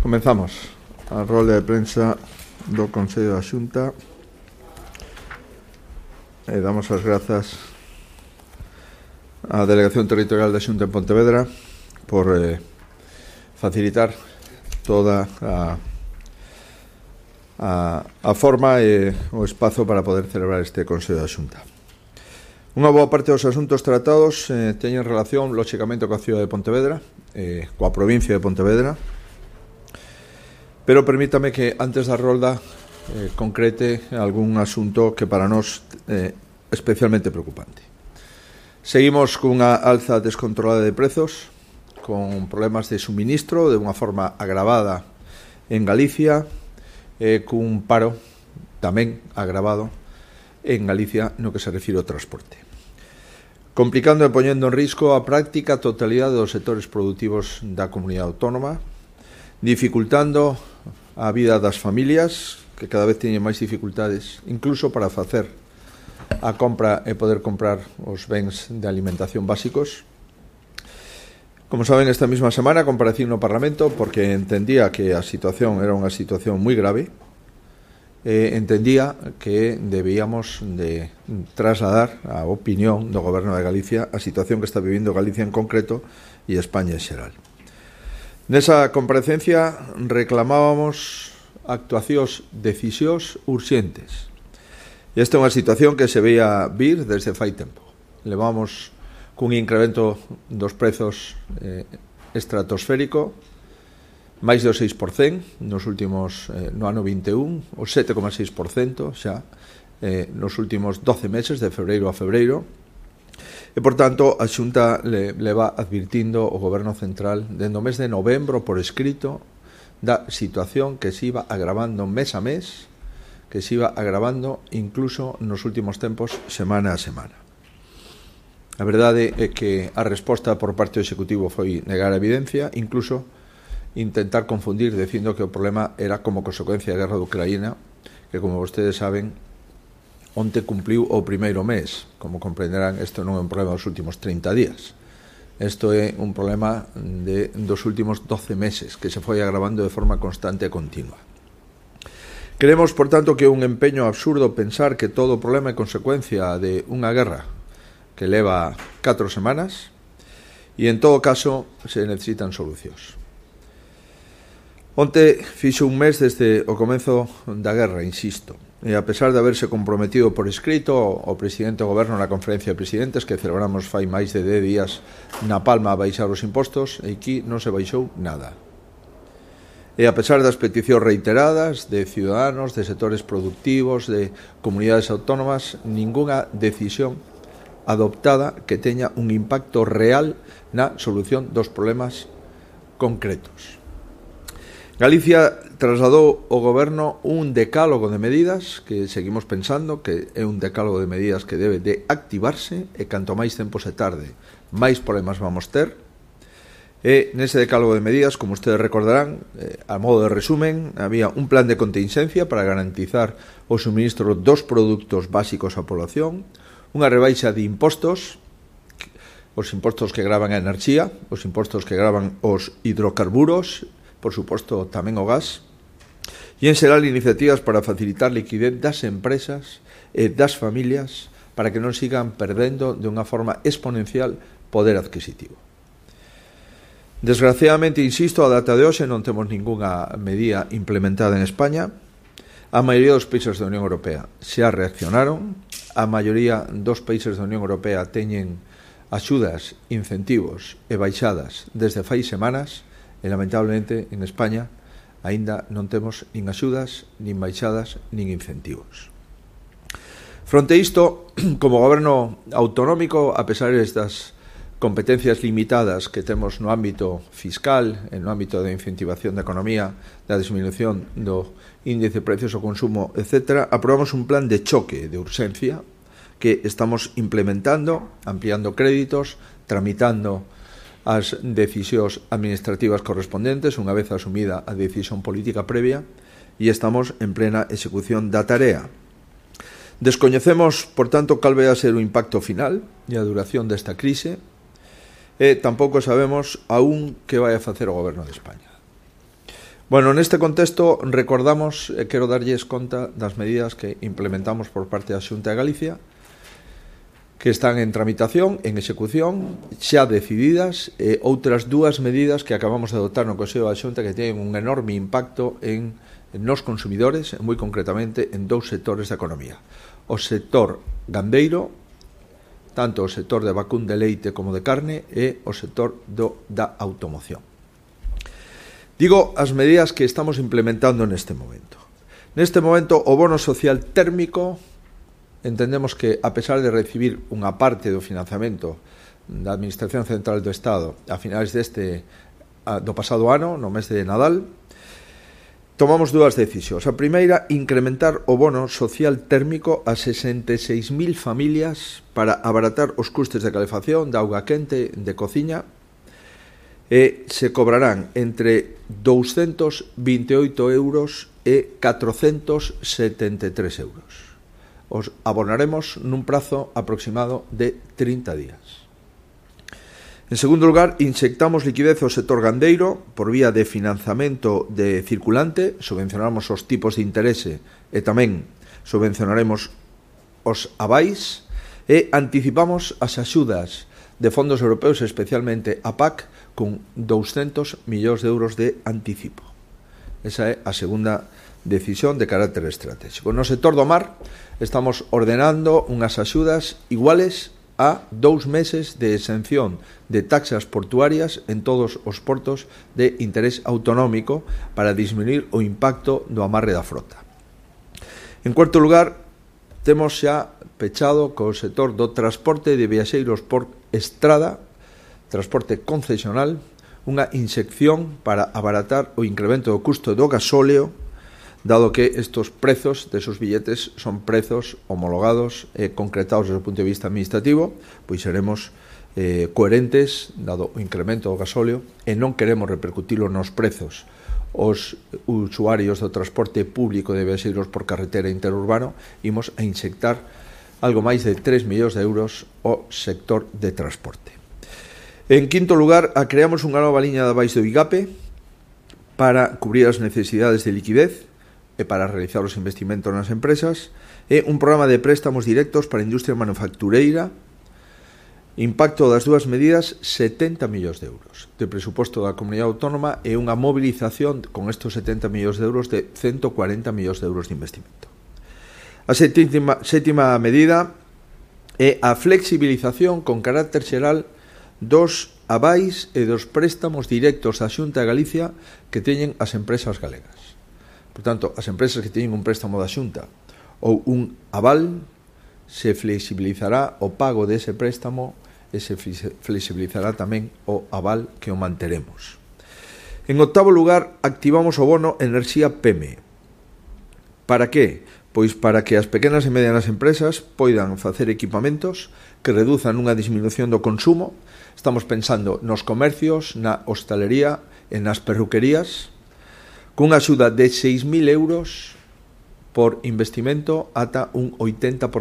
Comenzamos a rolda de prensa do Consello da Xunta e damos as grazas á Delegación Territorial da Xunta en Pontevedra por facilitar toda a forma e o espazo para poder celebrar este Consello da Xunta. Unha boa parte dos asuntos tratados teñen relación, lóxicamente, coa cidade de Pontevedra, coa provincia de Pontevedra, pero permítame que antes da rolda concrete algún asunto que para nós é especialmente preocupante. Seguimos cunha alza descontrolada de prezos, con problemas de suministro de unha forma agravada en Galicia, cun paro tamén agravado en Galicia no que se refire ao transporte, complicando e poñendo en risco a práctica totalidade dos sectores produtivos da comunidade autónoma, dificultando a vida das familias, que cada vez teñen máis dificultades, incluso para facer a compra e poder comprar os bens de alimentación básicos. Como saben, esta mesma semana comparecí no Parlamento porque entendía que a situación era unha situación moi grave, entendía que debíamos de trasladar a opinión do Goberno de Galicia a situación que está vivindo Galicia en concreto e España en xeral. Nesa comparecencia reclamábamos actuacións, decisións urxentes. E esta é unha situación que se veía vir desde fai tempo. Levamos cun incremento dos prezos estratosférico, máis do 6% nos últimos, no ano 21, o 7,6% xa nos últimos 12 meses, de febreiro a febreiro. E, por tanto, a Xunta le va advirtindo ao Goberno Central dende o mes de novembro por escrito da situación que se iba agravando mes a mes, que se iba agravando incluso nos últimos tempos, semana a semana. A verdade é que a resposta por parte do Executivo foi negar a evidencia, incluso intentar confundir dicindo que o problema era como consecuencia da guerra de Ucraína, que, como vostedes saben, onte cumpliu o primeiro mes. Como comprenderán, isto non é un problema dos últimos 30 días. Isto é un problema dos últimos 12 meses, que se foi agravando de forma constante e continua. Creemos, por tanto, que é un empeño absurdo pensar que todo o problema é consecuencia de unha guerra que leva 4 semanas e, en todo caso, se necesitan solucións. Onte fixo un mes desde o comezo da guerra, insisto, e a pesar de haberse comprometido por escrito o presidente do goberno na conferencia de presidentes que celebramos fai máis de 10 días na Palma a baixar os impostos, e aquí non se baixou nada. E a pesar das peticións reiteradas de ciudadanos, de sectores productivos, de comunidades autónomas, ningunha decisión adoptada que teña un impacto real na solución dos problemas concretos. Galicia trasladou ao Goberno un decálogo de medidas que seguimos pensando que é un decálogo de medidas que debe de activarse e canto máis tempo se tarde, máis problemas vamos ter. E nese decálogo de medidas, como ustedes recordarán, a modo de resumen, había un plan de contingencia para garantizar o suministro dos produtos básicos á población, unha rebaixa de impostos, os impostos que gravan a enerxía, os impostos que gravan os hidrocarburos, por suposto tamén o gas, e en xeral iniciativas para facilitar liquidez das empresas e das familias para que non sigan perdendo de unha forma exponencial poder adquisitivo. Desgraciadamente, insisto, a data de hoxe non temos ningunha medida implementada en España. A maioría dos países da Unión Europea xa reaccionaron, a maioría dos países da Unión Europea teñen axudas, incentivos e baixadas desde fai semanas, e lamentablemente en España aínda non temos nin axudas, nin baixadas, nin incentivos. Fronte a isto, como goberno autonómico, a pesar destas competencias limitadas que temos no ámbito fiscal, no ámbito da incentivación da economía, da disminución do índice de precios ao consumo, etc., aprobamos un plan de choque de urxencia que estamos implementando, ampliando créditos, tramitando as decisións administrativas correspondentes unha vez asumida a decisión política previa, e estamos en plena execución da tarea. Descoñecemos, por tanto, cal vai a ser o impacto final e a duración desta crise, e tampouco sabemos aún que vai a facer o Goberno de España. Bueno, neste contexto recordamos, quero darlles conta das medidas que implementamos por parte da Xunta de Galicia, que están en tramitación, en execución, xa decididas, e outras dúas medidas que acabamos de adoptar no Consello da Xunta que teñen un enorme impacto nos consumidores, moi concretamente en dous sectores da economía. O sector gandeiro, tanto o sector de vacún de leite como de carne, e o sector da automoción. Digo as medidas que estamos implementando neste momento. Neste momento, o bono social térmico, entendemos que, a pesar de recibir unha parte do financiamento da Administración Central do Estado a finais do pasado ano, no mes de Nadal, tomamos dúas decisións. A primeira, incrementar o bono social térmico a 66.000 familias para abaratar os custes de calefacción, de auga quente, de cociña, e se cobrarán entre 228 euros e 473 euros. Os abonaremos nun prazo aproximado de 30 días. En segundo lugar, inyectamos liquidez ao sector gandeiro por vía de financiamento de circulante, subvencionamos os tipos de interese e tamén subvencionaremos os avais e anticipamos as axudas de fondos europeus, especialmente a PAC, con 200 millóns de euros de anticipo. Esa é a segunda decisión de carácter estratégico. No sector do mar estamos ordenando unhas axudas iguales a 2 meses de exención de taxas portuarias en todos os portos de interés autonómico para disminuir o impacto do amarre da frota. En cuarto lugar, temos xa pechado co sector do transporte de viaxeiros por estrada, transporte concesional, unha inyección para abaratar o incremento do custo do gasóleo, dado que estos prezos de esos billetes son prezos homologados e concretados desde o punto de vista administrativo, pois seremos coherentes, dado o incremento do gasóleo, e non queremos repercutilo nos prezos os usuarios do transporte público de viaxeiros por carretera interurbano. Imos a inyectar algo máis de 3 millóns de euros ao sector de transporte. En quinto lugar, creamos unha nova liña de avais do IGAPE para cubrir as necesidades de liquidez e para realizar os investimentos nas empresas, e un programa de préstamos directos para a industria manufactureira. Impacto das dúas medidas, 70 millóns de euros de presuposto da comunidade autónoma e unha mobilización con estos 70 millóns de euros de 140 millóns de euros de investimento. A sétima medida é a flexibilización con carácter xeral dos avais e dos préstamos directos da Xunta de Galicia que teñen as empresas galegas. Por tanto, as empresas que teñen un préstamo da Xunta ou un aval, se flexibilizará o pago dese préstamo e se flexibilizará tamén o aval que o manteremos. En octavo lugar, activamos o bono Enerxía PEME. Para que? Pois para que as pequenas e medianas empresas poidan facer equipamentos que reduzan unha disminución do consumo. Estamos pensando nos comercios, na hostalería e nas perruquerías, cunha axuda de 6.000 euros por investimento ata un 80%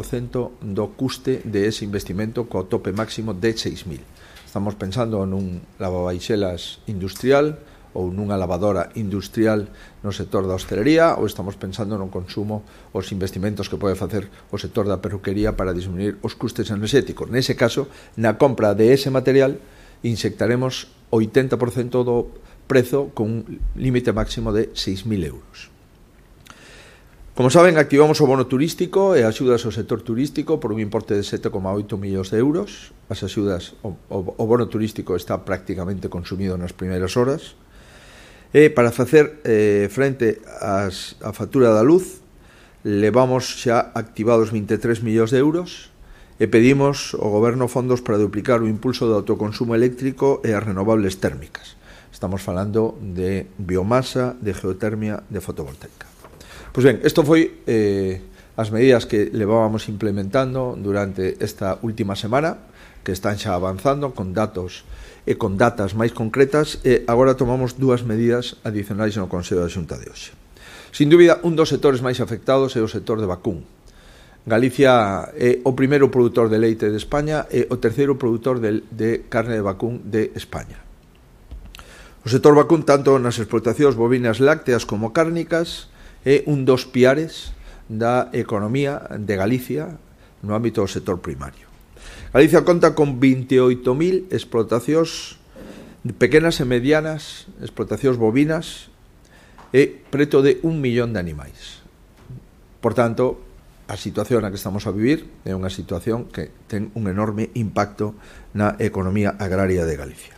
do custe de ese investimento, co tope máximo de 6.000. Estamos pensando nun lavabaixelas industrial ou nunha lavadora industrial no sector da hostelería, ou estamos pensando no consumo, os investimentos que pode facer o sector da perruquería para disminuir os custes enerxéticos. Nese caso, na compra de ese material, inyectaremos 80% do prezo con un límite máximo de 6.000 euros. Como saben, activamos o bono turístico e axudas ao sector turístico por un importe de 7,8 millóns de euros. As axudas, o bono turístico está prácticamente consumido nas primeiras horas. E para facer frente á factura da luz, levamos xa activados 23 millóns de euros e pedimos ao Goberno fondos para duplicar o impulso do autoconsumo eléctrico e as renovables térmicas. Estamos falando de biomasa, de geotermia, de fotovoltaica. Pois ben, isto foi as medidas que levábamos implementando durante esta última semana, que están xa avanzando con datos e con datas máis concretas, e agora tomamos dúas medidas adicionais no Consello da Xunta de hoxe. Sin dúbida, un dos sectores máis afectados é o sector de vacún. Galicia é o primeiro produtor de leite de España e o terceiro produtor de carne de vacún de España. O sector vacún, tanto nas explotacións bovinas lácteas como cárnicas, é un dos piares da economía de Galicia no ámbito do sector primario. Galicia conta con 28.000 explotacións pequenas e medianas, explotacións bovinas, e preto de 1 millón de animais. Por tanto, a situación na que estamos a vivir é unha situación que ten un enorme impacto na economía agraria de Galicia.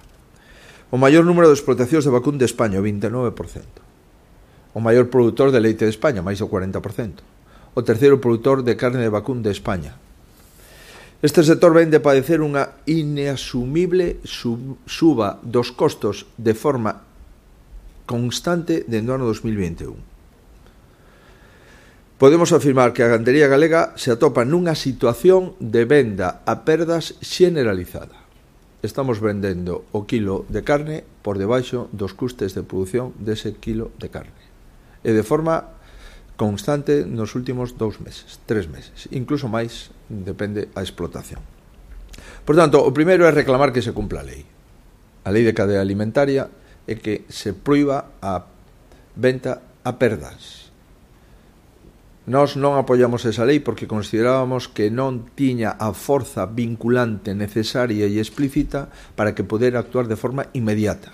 O maior número de explotacións de vacún de España, o 29%. O maior produtor de leite de España, máis do 40%. O terceiro produtor de carne de vacún de España. Este sector ven de padecer unha inasumible suba dos costos de forma constante dende o ano 2021. Podemos afirmar que a gandería galega se atopa nunha situación de venda a perdas xeneralizada. Estamos vendendo o kilo de carne por debaixo dos custes de produción dese kilo de carne. E de forma constante nos últimos 2 meses, 3 meses, incluso máis, depende a explotación. Por tanto, o primeiro é reclamar que se cumpla a lei. A lei de cadea alimentaria é que se proíba a venta a perdas. Nós non apoiamos esa lei porque considerábamos que non tiña a forza vinculante necesaria e explícita para que poder actuar de forma inmediata.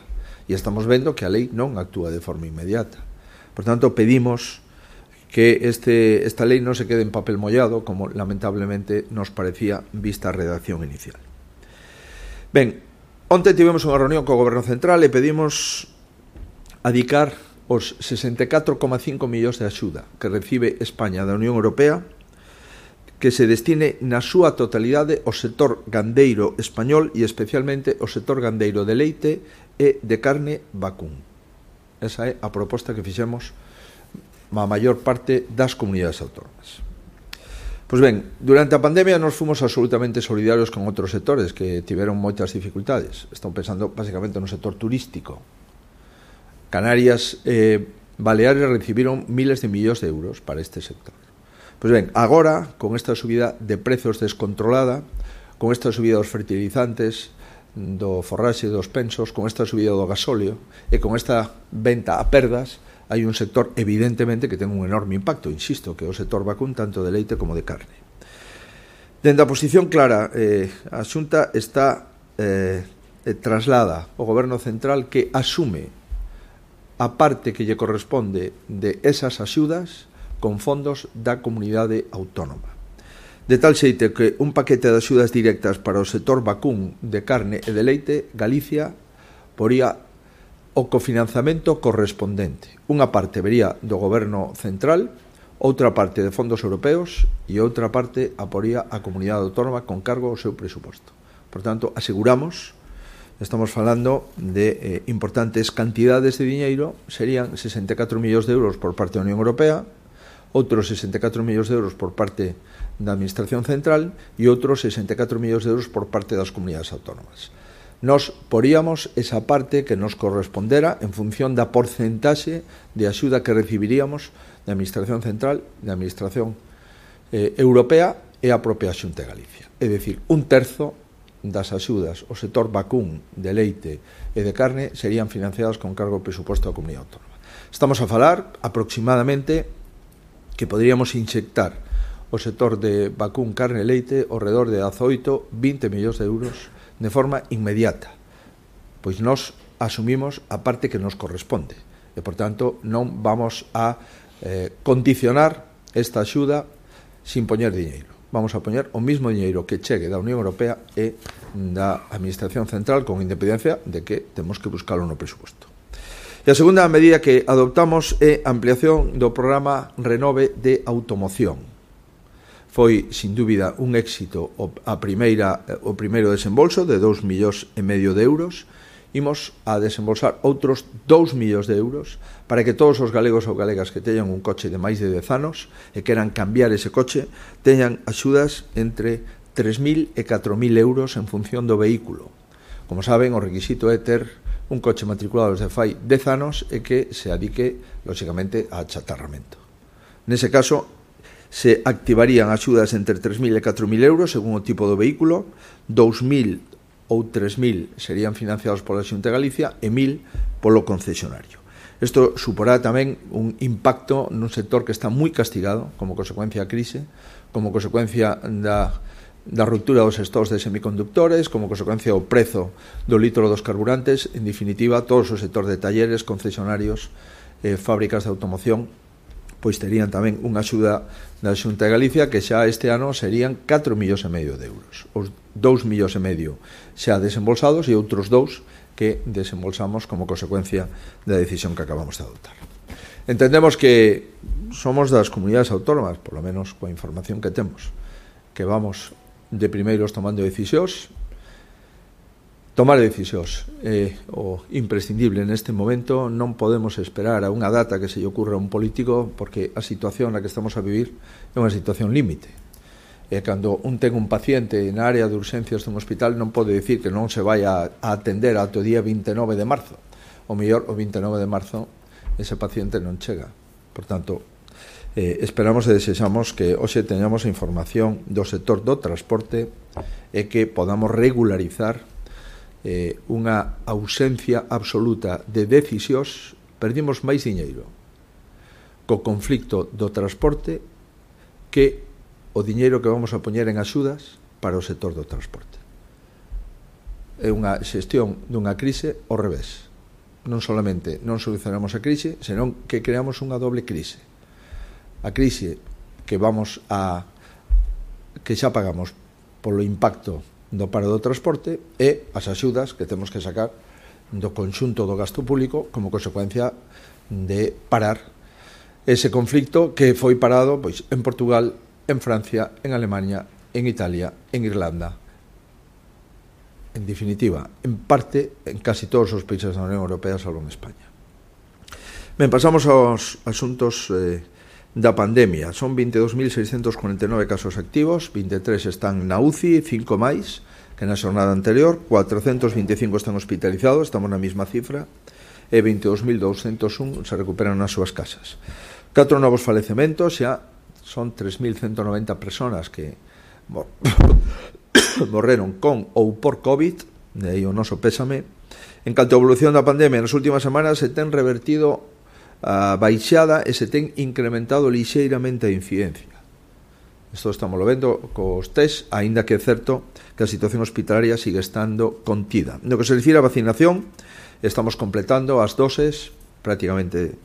E estamos vendo que a lei non actúa de forma inmediata. Por tanto, pedimos que esta lei non se quede en papel mollado, como lamentablemente nos parecía vista a redacción inicial. Ben, onte tivemos unha reunión co Goberno Central e pedimos adicar os 64,5 millóns de axuda que recibe España da Unión Europea, que se destine na súa totalidade ao sector gandeiro español e especialmente ao sector gandeiro de leite e de carne vacún. Esa é a proposta que fixemos a maior parte das comunidades autónomas. Pois ben, durante a pandemia nos fomos absolutamente solidarios con outros sectores que tiveron moitas dificultades. Estamos pensando basicamente no sector turístico. Canarias e Baleares recibiron miles de millóns de euros para este sector. Pois ben, agora, con esta subida de prezos descontrolada, con esta subida dos fertilizantes, do forraxe, dos pensos, con esta subida do gasóleo e con esta venta a perdas, hai un sector evidentemente que ten un enorme impacto, insisto, que é o sector vacún tanto de leite como de carne. Dende a posición clara, a Xunta está traslada ao Goberno Central que asume a parte que lle corresponde de esas axudas con fondos da comunidade autónoma. De tal xeito que un paquete de axudas directas para o sector vacún de carne e de leite, Galicia poría o cofinanzamento correspondente. Unha parte vería do Goberno Central, outra parte de fondos europeos e outra parte aporía a comunidade autónoma con cargo ao seu presuposto. Por tanto, aseguramos, estamos falando de importantes cantidades de diñeiro, serían 64 millóns de euros por parte da Unión Europea, outros 64 millóns de euros por parte da Administración Central e outros 64 millóns de euros por parte das comunidades autónomas. Nos poríamos esa parte que nos correspondera en función da porcentaxe de axuda que recibiríamos da Administración Central, da Administración Europea e a propia Xunta de Galicia. É dicir, un terzo das axudas ao sector vacún de leite e de carne serían financiadas con cargo ao presuposto da comunidade autónoma. Estamos a falar aproximadamente que poderíamos inyectar o sector de vacún, carne e leite ao redor de 18-20 millóns de euros de forma inmediata, pois nós asumimos a parte que nos corresponde e, por tanto, non vamos a condicionar esta axuda sin poñer diñeiro. Vamos a poñer o mismo diñeiro que chegue da Unión Europea e da Administración Central, con independencia de que temos que buscalo no presuposto. E a segunda medida que adoptamos é a ampliación do programa Renove de automoción. Foi, sin dúbida, un éxito o primeiro desembolso de 2,5 millóns de euros. Imos a desembolsar outros 2 millóns de euros para que todos os galegos ou galegas que teñan un coche de máis de 10 anos e queran cambiar ese coche teñan axudas entre 3.000 e 4.000 euros en función do vehículo. Como saben, o requisito é ter un coche matriculado desde fai 10 anos e que se adique, lóxicamente, a achatarramento. Nese caso, se activarían axudas entre 3.000 e 4.000 euros según o tipo do vehículo, 2.000 ou 3.000 serían financiados pola Xunta de Galicia e 1.000 polo concesionario. Isto suporá tamén un impacto nun sector que está moi castigado como consecuencia da crise, como consecuencia da ruptura dos stocks de semicondutores, como consecuencia do prezo do litro dos carburantes, en definitiva, todos os sectores de talleres, concesionarios, fábricas de automoción, pois terían tamén unha axuda da Xunta de Galicia que xa este ano serían 4,5 millóns de euros. Os 2,5 millóns xa desembolsados e outros 2 que desembolsamos como consecuencia da decisión que acabamos de adoptar. Entendemos que somos das comunidades autónomas, por lo menos coa información que temos, que vamos de primeiros tomando decisións. Tomar decisións é o imprescindible neste momento. Non podemos esperar a unha data que se lle ocurra a un político, porque a situación na que estamos a vivir é unha situación límite. E cando un ten un paciente na área de urxencias dun hospital non pode dicir que non se vai a atender ata o día 29 de marzo. O mellor, o 29 de marzo ese paciente non chega. Por tanto, esperamos e desexamos que hoxe teñamos a información do sector do transporte e que podamos regularizar unha ausencia absoluta de decisións. Perdimos máis diñeiro co conflicto do transporte que o diñeiro que vamos a poñer en axudas para o sector do transporte. É unha xestión dunha crise ao revés. Non solamente non solucionamos a crise, senón que creamos unha doble crise. A crise que xa pagamos polo impacto do paro do transporte e as axudas que temos que sacar do conxunto do gasto público como consecuencia de parar ese conflicto que foi parado pois en Portugal, en Francia, en Alemania, en Italia, en Irlanda, en definitiva, en parte en casi todos os países da Unión Europea salvo en España. Ben, pasamos aos asuntos da pandemia. Son 22.649 casos activos, 23 están na UCI, 5 máis que na xornada anterior, 425 están hospitalizados, estamos na mesma cifra, e 22.201 se recuperan nas súas casas. 4 novos falecementos, xa son 3.190 personas que morreron con ou por COVID, de aí o noso pésame. En canto a evolución da pandemia, nas últimas semanas se ten revertido a baixada e se ten incrementado lixeiramente a incidencia. Isto estamos vendo cos test, aínda que é certo que a situación hospitalaria sigue estando contida. No que se refire a vacinación, estamos completando as doses, prácticamente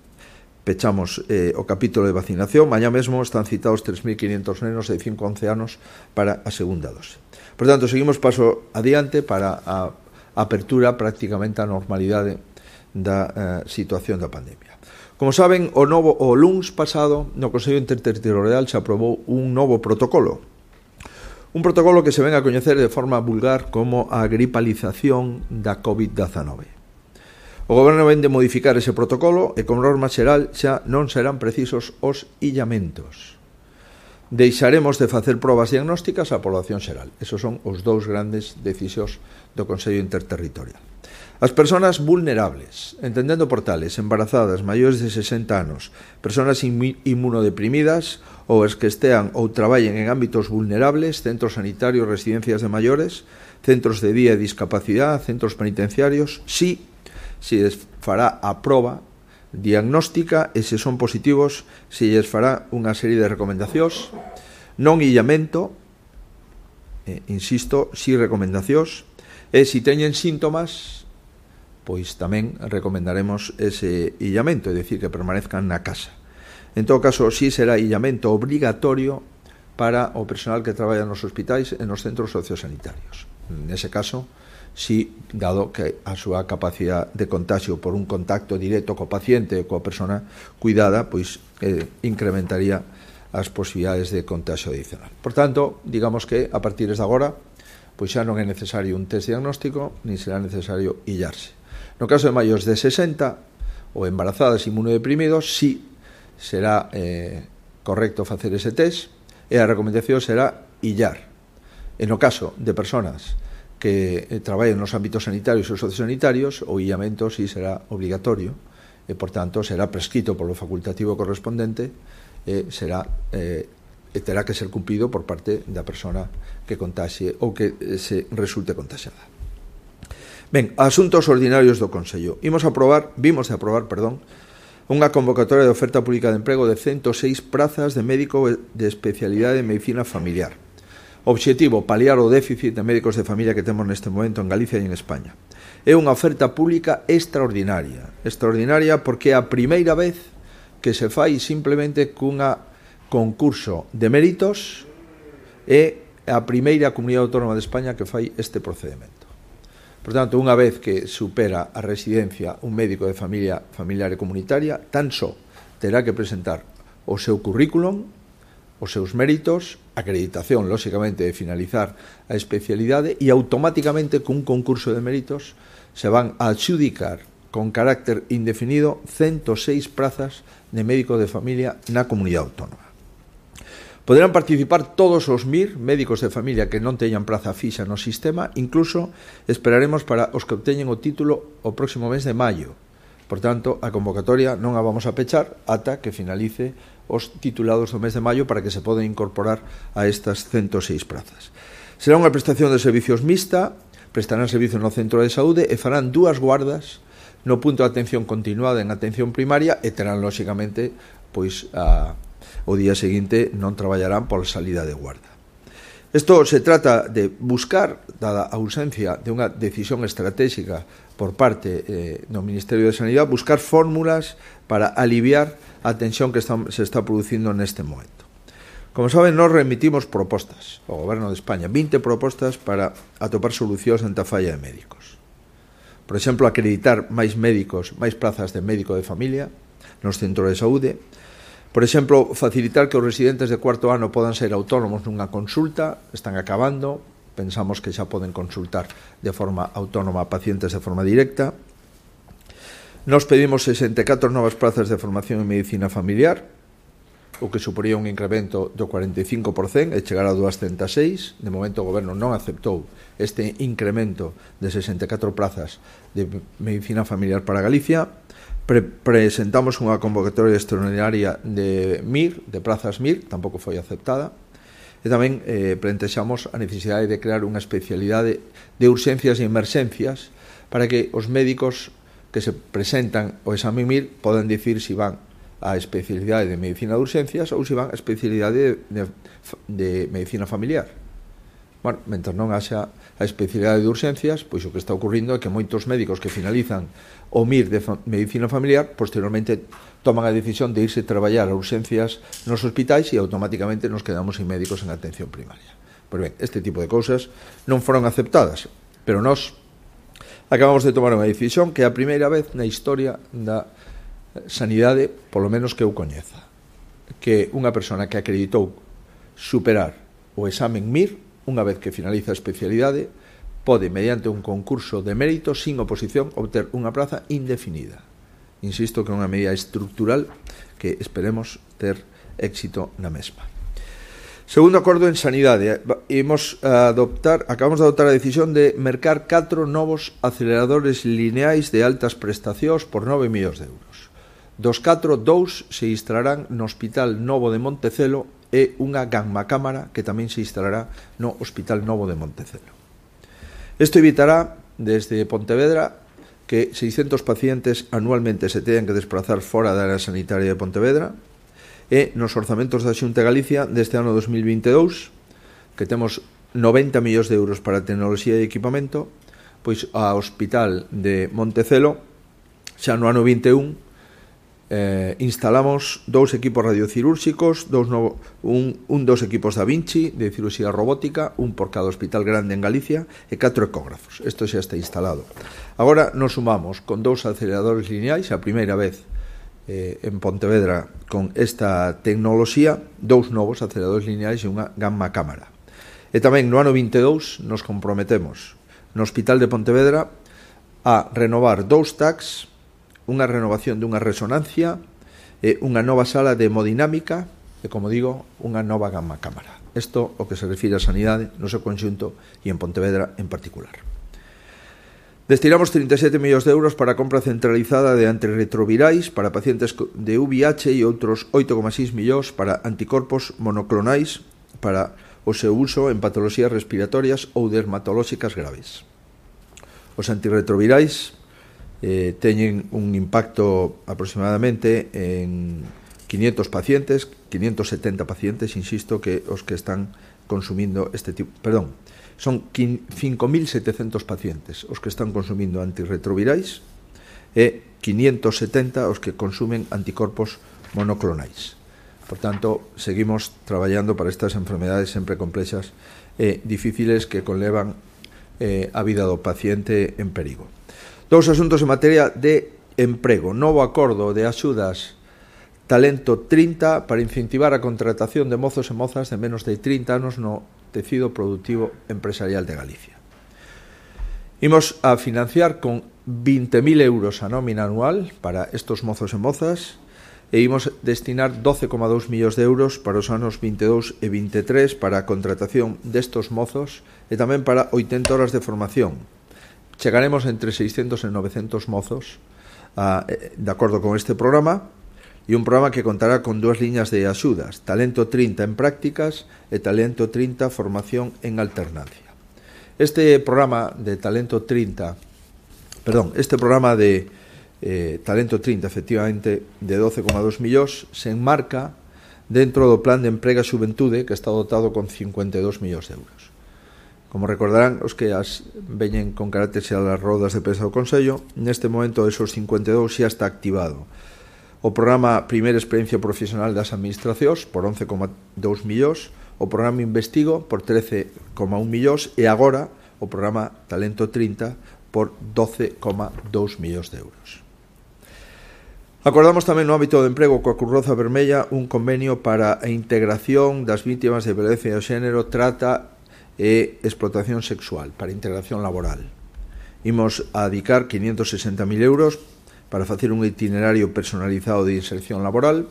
pechamos o capítulo de vacinación. Mañá mesmo están citados 3.500 nenos de 5 a 11 anos para a segunda dose. Por tanto, seguimos paso adiante para a apertura prácticamente a normalidade da situación da pandemia. Como saben, o luns pasado no Consello Interterritorial se aprobou un novo protocolo. Un protocolo que se ven a coñecer de forma vulgar como a gripalización da COVID-19. O Goberno ven de modificar ese protocolo e, como norma xeral, xa non serán precisos os illamentos. Deixaremos de facer probas diagnósticas á población xeral. Esos son os dous grandes decisións do Consello Interterritorial. As persoas vulnerables, entendendo por tales, embarazadas, maiores de 60 anos, persoas inmunodeprimidas ou as que estean ou traballen en ámbitos vulnerables, centros sanitarios, residencias de maiores, centros de día e discapacidade, centros penitenciarios, se lles fará a proba diagnóstica e se son positivos se lles fará unha serie de recomendacións, non illamento, insisto, si recomendacións, e se teñen síntomas, pois tamén recomendaremos ese illamento, é dicir, que permanezcan na casa. En todo caso, si será illamento obrigatorio para o personal que traballa nos hospitais e nos centros sociosanitarios. Nese caso, si, dado que a súa capacidade de contagio por un contacto directo co paciente e coa persona cuidada, pois incrementaría as posibilidades de contagio adicional. Por tanto, digamos que a partir de agora, pois xa non é necesario un test diagnóstico, nin será necesario illarse. No caso de maiores de 60 ou embarazadas inmunodeprimidos, si será correcto facer ese test e a recomendación será illar. E no caso de persoas que traballen nos ámbitos sanitarios ou sociosanitarios, o illamento si será obligatorio e, por tanto, será prescrito polo facultativo correspondente e terá que ser cumprido por parte da persona que contaxe ou que se resulte contaxiada. Ben, asuntos ordinarios do Consello. Vimos de aprobar, unha convocatoria de oferta pública de emprego de 106 prazas de médico de especialidade de medicina familiar. Obxectivo, paliar o déficit de médicos de familia que temos neste momento en Galicia e en España. É unha oferta pública extraordinaria porque é a primeira vez que se fai simplemente cunha concurso de méritos e a primeira comunidade autónoma de España que fai este procedimento. Por tanto, unha vez que supera a residencia un médico de familia familiar e comunitaria, tan só terá que presentar o seu currículum, os seus méritos, acreditación, lóxicamente, de finalizar a especialidade e automáticamente cun concurso de méritos se van a adxudicar con carácter indefinido 106 prazas de médico de familia na comunidade autónoma. Poderán participar todos os MIR, médicos de familia que non teñan praza fixa no sistema, incluso esperaremos para os que obteñen o título o próximo mes de maio. Por tanto, a convocatoria non a vamos a pechar ata que finalice os titulados do mes de maio para que se poden incorporar a estas 106 prazas. Será unha prestación de servicios mixta, prestarán servicio no centro de saúde e farán 2 guardas no punto de atención continuada en atención primaria e terán, lóxicamente, pois o día seguinte non traballarán pola salida de guarda. Isto se trata de buscar, dada a ausencia de unha decisión estratégica por parte do Ministerio de Sanidade, buscar fórmulas para aliviar a tensión que se está producindo neste momento. Como saben, nos remitimos propostas ao Goberno de España, 20 propostas para atopar solucións ante a falla de médicos. Por exemplo, acreditar máis médicos, máis plazas de médico de familia nos centros de saúde. Por exemplo, facilitar que os residentes de cuarto ano podan ser autónomos nunha consulta, están acabando, pensamos que xa poden consultar de forma autónoma a pacientes de forma directa. Nos pedimos 64 novas plazas de formación en medicina familiar, o que suporía un incremento do 45% e chegar a 206. De momento o Goberno non aceptou este incremento de 64 plazas de medicina familiar para Galicia. Presentamos unha convocatoria extraordinaria de MIR, de plazas MIR, tampouco foi aceptada, e tamén plantexamos a necesidade de crear unha especialidade de urxencias e emerxencias para que os médicos que se presentan ao exame MIR podan dicir se van á especialidade de medicina de urxencias ou se van á especialidade de medicina familiar. Bueno, mentre non haxa a especialidade de urxencias, pois o que está ocurrindo é que moitos médicos que finalizan o MIR de medicina familiar, posteriormente toman a decisión de irse traballar a urxencias nos hospitais e automáticamente nos quedamos sin médicos en atención primaria. Pois ben, este tipo de cousas non foron aceptadas, pero nós acabamos de tomar unha decisión que é a primeira vez na historia da sanidade, polo menos que eu coñeza, que unha persona que acreditou superar o examen MIR, unha vez que finaliza a especialidade, pode, mediante un concurso de mérito, sin oposición, obter unha plaza indefinida. Insisto que é unha medida estructural que esperemos ter éxito na mesma. Segundo acordo en sanidade, acabamos de adoptar a decisión de mercar 4 novos aceleradores lineais de altas prestacións por 9 millóns de euros. Dos 4, 2 se instalarán no Hospital Novo de Montecelo e unha gamma cámara que tamén se instalará no Hospital Novo de Montecelo. Isto evitará, desde Pontevedra, que 600 pacientes anualmente se teñan que desplazar fora da área sanitaria de Pontevedra e nos orzamentos da Xunta de Galicia deste ano 2022, que temos 90 millóns de euros para tecnoloxía e equipamento, pois ao Hospital de Montecelo, xa no ano 21, instalamos 2 equipos radiocirúrxicos, dos equipos Da Vinci de cirurxía robótica, un por cada hospital grande en Galicia e 4 ecógrafos. Isto xa está instalado. Agora nos sumamos con 2 aceleradores lineais, a primeira vez en Pontevedra con esta tecnoloxía, 2 novos aceleradores lineais e unha gamma cámara. E tamén no ano 22 nos comprometemos no Hospital de Pontevedra a renovar 2 TACs, unha renovación dunha resonancia e unha nova sala de hemodinámica e, como digo, unha nova gamma cámara. Isto o que se refire a sanidade no seu conxunto e en Pontevedra en particular. Destinamos 37 millóns de euros para a compra centralizada de antirretrovirais para pacientes de VIH e outros 8,6 millóns para anticorpos monoclonais para o seu uso en patoloxías respiratorias ou dermatolóxicas graves. Os antirretrovirais teñen un impacto aproximadamente en 500 pacientes, 570 pacientes, insisto, que os que están consumindo este tipo, perdón, son 5.700 pacientes os que están consumindo antirretrovirais e 570 os que consumen anticorpos monoclonais. Por tanto, seguimos traballando para estas enfermedades sempre complexas e difíciles que conlevan a vida do paciente en perigo. Dous asuntos en materia de emprego. Novo acordo de axudas Talento 30 para incentivar a contratación de mozos e mozas de menos de 30 anos no tecido productivo empresarial de Galicia. Imos a financiar con 20.000 euros a nómina anual para estos mozos e mozas e imos destinar 12,2 millóns de euros para os anos 22 e 23 para a contratación destos mozos e tamén para 80 horas de formación. Chegaremos entre 600 e 900 mozos de acordo con este programa, e un programa que contará con dúas liñas de axudas, Talento 30 en prácticas e Talento 30 formación en alternancia. Este programa de Talento 30, efectivamente, de 12,2 millóns, se enmarca dentro do Plan de Emprego e Xuventude, que está dotado con 52 millóns de euros. Como recordarán os que veñen con carácter xa das rodas de prensa do Consello, neste momento esos 52 xa está activado. O programa Primeira Experiencia Profesional das Administracións por 11,2 millóns, o programa Investigo por 13,1 millóns e agora o programa Talento 30 por 12,2 millóns de euros. Acordamos tamén no ámbito do emprego coa Cruz Rosa Vermella un convenio para a integración das vítimas de violencia de xénero, trata e explotación sexual, para integración laboral. Imos a dedicar 560.000 euros para facer un itinerario personalizado de inserción laboral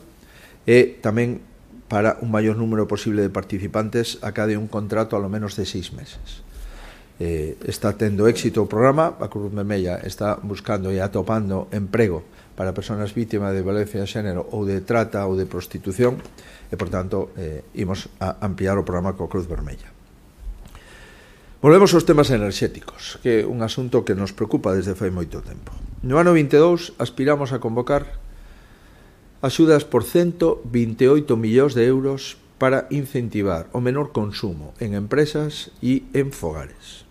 e tamén para un maior número posible de participantes a cada un contrato a lo menos de 6 meses. Está tendo éxito o programa, a Cruz Vermella está buscando e atopando emprego para persoas vítimas de violencia de xénero ou de trata ou de prostitución e, por tanto, imos a ampliar o programa coa Cruz Vermella. Volvemos aos temas enerxéticos, que é un asunto que nos preocupa desde fai moito tempo. No ano 22 aspiramos a convocar axudas por 128 millóns de euros para incentivar o menor consumo en empresas e en fogares.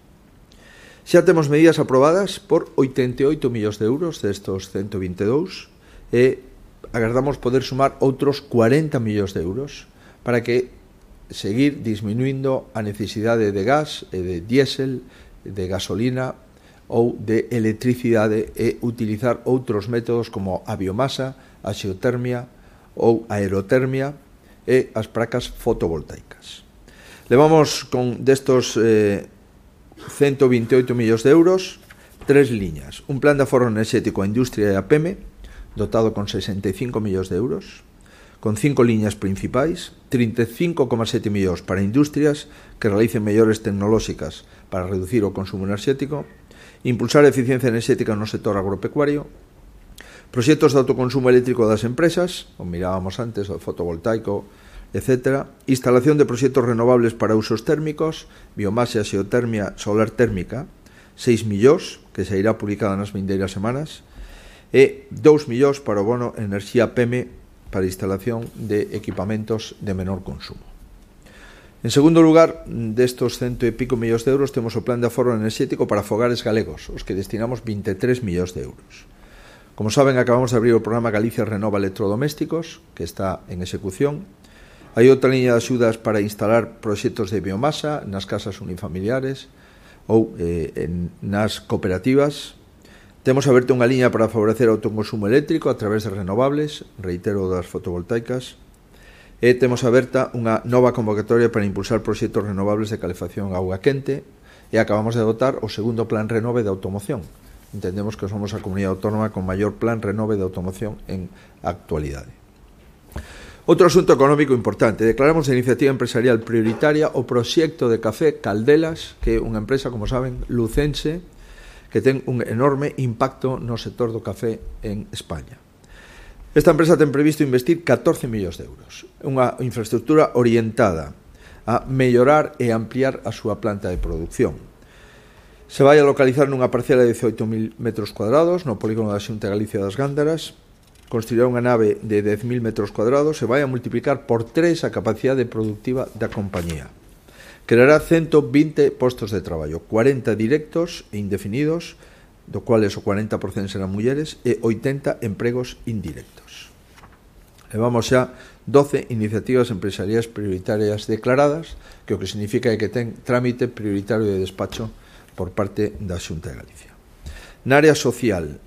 Xa temos medidas aprobadas por 88 millóns de euros destos 122 e agardamos poder sumar outros 40 millóns de euros para que seguir disminuindo a necesidade de gas e de diésel, de gasolina ou de electricidade e utilizar outros métodos como a biomasa, a xeotermia ou a aerotermia e as placas fotovoltaicas. Levamos con destos 128 millóns de euros 3 liñas. Un plan de aforro enerxético á industria e á PEME dotado con 65 millóns de euros, con 5 liñas principais, 35,7 millóns para industrias que realicen mellores tecnolóxicas para reducir o consumo enerxético, impulsar a eficiencia enerxética no sector agropecuario, proxectos de autoconsumo eléctrico das empresas, como mirábamos antes, o fotovoltaico, etc. Instalación de proxectos renovables para usos térmicos, biomasa, xeotermia, solar térmica, 6 millóns, que se irá publicada nas vindeiras semanas, e 2 millóns para o bono enerxía PEME para instalación de equipamentos de menor consumo. En segundo lugar, destos 100 e pico millóns de euros, temos o plan de aforro enerxético para fogares galegos, os que destinamos 23 millóns de euros. Como saben, acabamos de abrir o programa Galicia Renova Electrodomésticos, que está en execución. Hai outra liña de axudas para instalar proxectos de biomasa nas casas unifamiliares ou nas cooperativas. Temos aberta unha liña para favorecer o autoconsumo eléctrico a través de renovables, reitero, das fotovoltaicas, e temos aberta unha nova convocatoria para impulsar proxectos renovables de calefacción a auga quente e acabamos de dotar o segundo plan renove de automoción. Entendemos que somos a comunidade autónoma con maior plan renove de automoción en actualidade. Outro asunto económico importante. Declaramos de iniciativa empresarial prioritaria o proxecto de café Caldelas, que é unha empresa, como saben, lucense, que ten un enorme impacto no sector do café en España. Esta empresa ten previsto investir 14 millóns de euros, unha infraestructura orientada a mellorar e ampliar a súa planta de producción. Se vai a localizar nunha parcela de 18.000 metros cuadrados no polígono da Xunta de Galicia das Gándaras. Construirá unha nave de 10.000 metros cuadrados e vai a multiplicar por 3 a capacidade productiva da compañía. Creará 120 postos de traballo, 40 directos e indefinidos, do cuales o 40% serán mulleres, e 80 empregos indirectos. Levamos xa 12 iniciativas empresariais prioritarias declaradas, que o que significa é que ten trámite prioritario de despacho por parte da Xunta de Galicia. Na área social,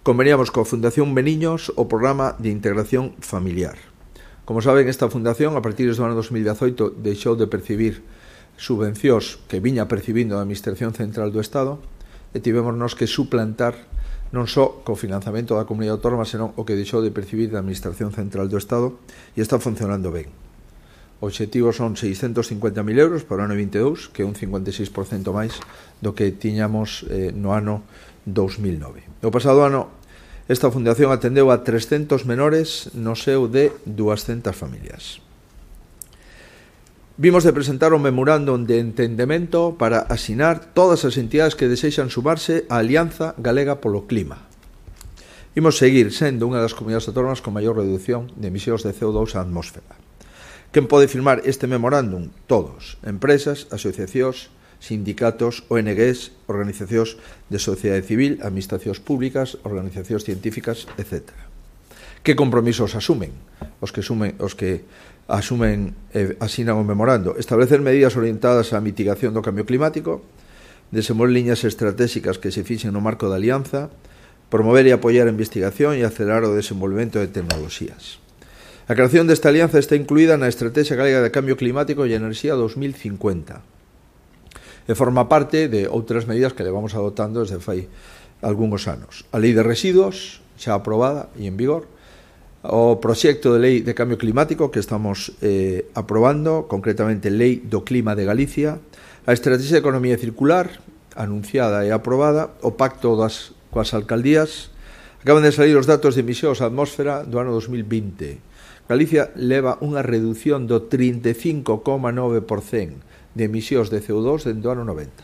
conveníamos coa Fundación Beniños o programa de integración familiar. Como saben, esta fundación, a partir do ano 2018, deixou de percibir subvencións que viña percibindo a Administración Central do Estado, e tivemos que suplantar non só co financiamento da comunidade autónoma, senón o que deixou de percibir da Administración Central do Estado, e está funcionando ben. O obxectivo son 650.000 euros para o ano 22, que é un 56% máis do que tiñamos no ano 2009. O pasado ano, esta fundación atendeu a 300 menores no seu de 200 familias. Vimos de presentar un memorándum de entendemento para asinar todas as entidades que desexan sumarse á Alianza Galega polo Clima. Imos seguir sendo unha das comunidades autónomas con maior reducción de emisións de CO2 á atmósfera. Quen pode firmar este memorándum? Todos. Empresas, asociacións, sindicatos, ONGs, organizacións de sociedade civil, administracións públicas, organizacións científicas, etc. Que compromisos asumen? Os que asumen e asinan o memorando. Establecer medidas orientadas á mitigación do cambio climático, desenvolver liñas estratégicas que se fixen no marco da alianza, promover e apoiar a investigación e acelerar o desenvolvemento de tecnoloxías. A creación desta alianza está incluída na Estrategia Galega de Cambio Climático e Enerxía 2050 e forma parte de outras medidas que levamos adoptando desde fai algúns anos. A Lei de Residuos, xa aprobada e en vigor, o proxecto de Lei de Cambio Climático que estamos aprobando, concretamente Lei do Clima de Galicia, a Estrategia de Economía Circular, anunciada e aprobada, o Pacto coas alcaldías. Acaban de salir os datos de emisións á atmósfera do ano 2020. Galicia leva unha reducción do 35,9% de emisións de CO2 dentro do ano 90.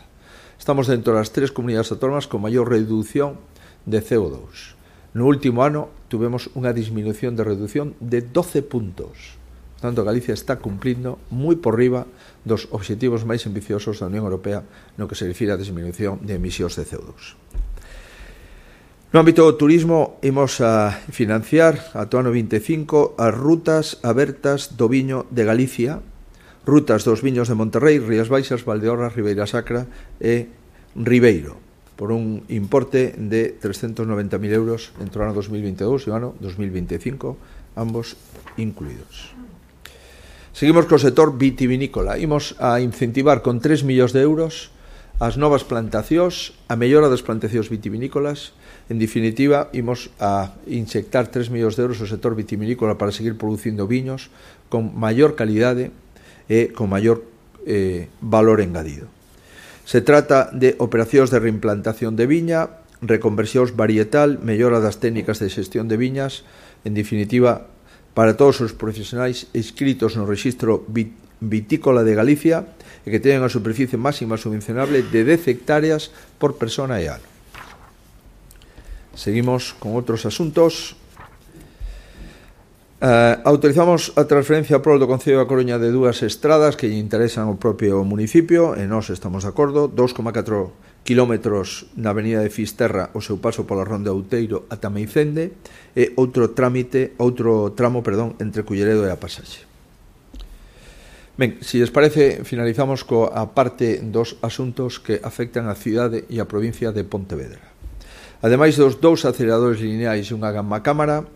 Estamos dentro das 3 comunidades autónomas con maior reducción de CO2. No último ano tuvemos unha disminución de reducción de 12 puntos. Por tanto, Galicia está cumplindo moi por riba dos obxectivos máis ambiciosos da Unión Europea no que se refire á disminución de emisións de CO2. No ámbito do turismo, imos a financiar ata o ano 25 as rutas abertas do viño de Galicia, rutas dos viños de Monterrey, Rías Baixas, Valdeorras, Ribeira Sacra e Ribeiro, por un importe de 390.000 euros entre o ano 2022 e o ano 2025, ambos incluídos. Seguimos co sector vitivinícola. Imos a incentivar con 3 millóns de euros as novas plantacións, a mellora das plantacións vitivinícolas. En definitiva, imos a inyectar 3 millóns de euros ao sector vitivinícola para seguir producindo viños con maior calidade e con maior valor engadido. Se trata de operacións de reimplantación de viña, reconversións varietal, mellora das técnicas de xestión de viñas, en definitiva, para todos os profesionais inscritos no Rexistro Vitícola de Galicia e que teñen a superficie máxima subvencionable de 10 hectáreas por persona e ano. Seguimos con outros asuntos. Autorizamos a transferencia pro do Concello da Coruña de 2 estradas que lle interesan ao propio municipio e nós estamos de acordo. 2,4 kilómetros na avenida de Fisterra o seu paso pola Ronda Outeiro ata Meicende e outro tramo, entre Culleredo e a Pasaxe. Ben, se lles parece, finalizamos coa parte dos asuntos que afectan a cidade e a provincia de Pontevedra. Ademais dos 2 aceleradores lineais e unha gamma cámara,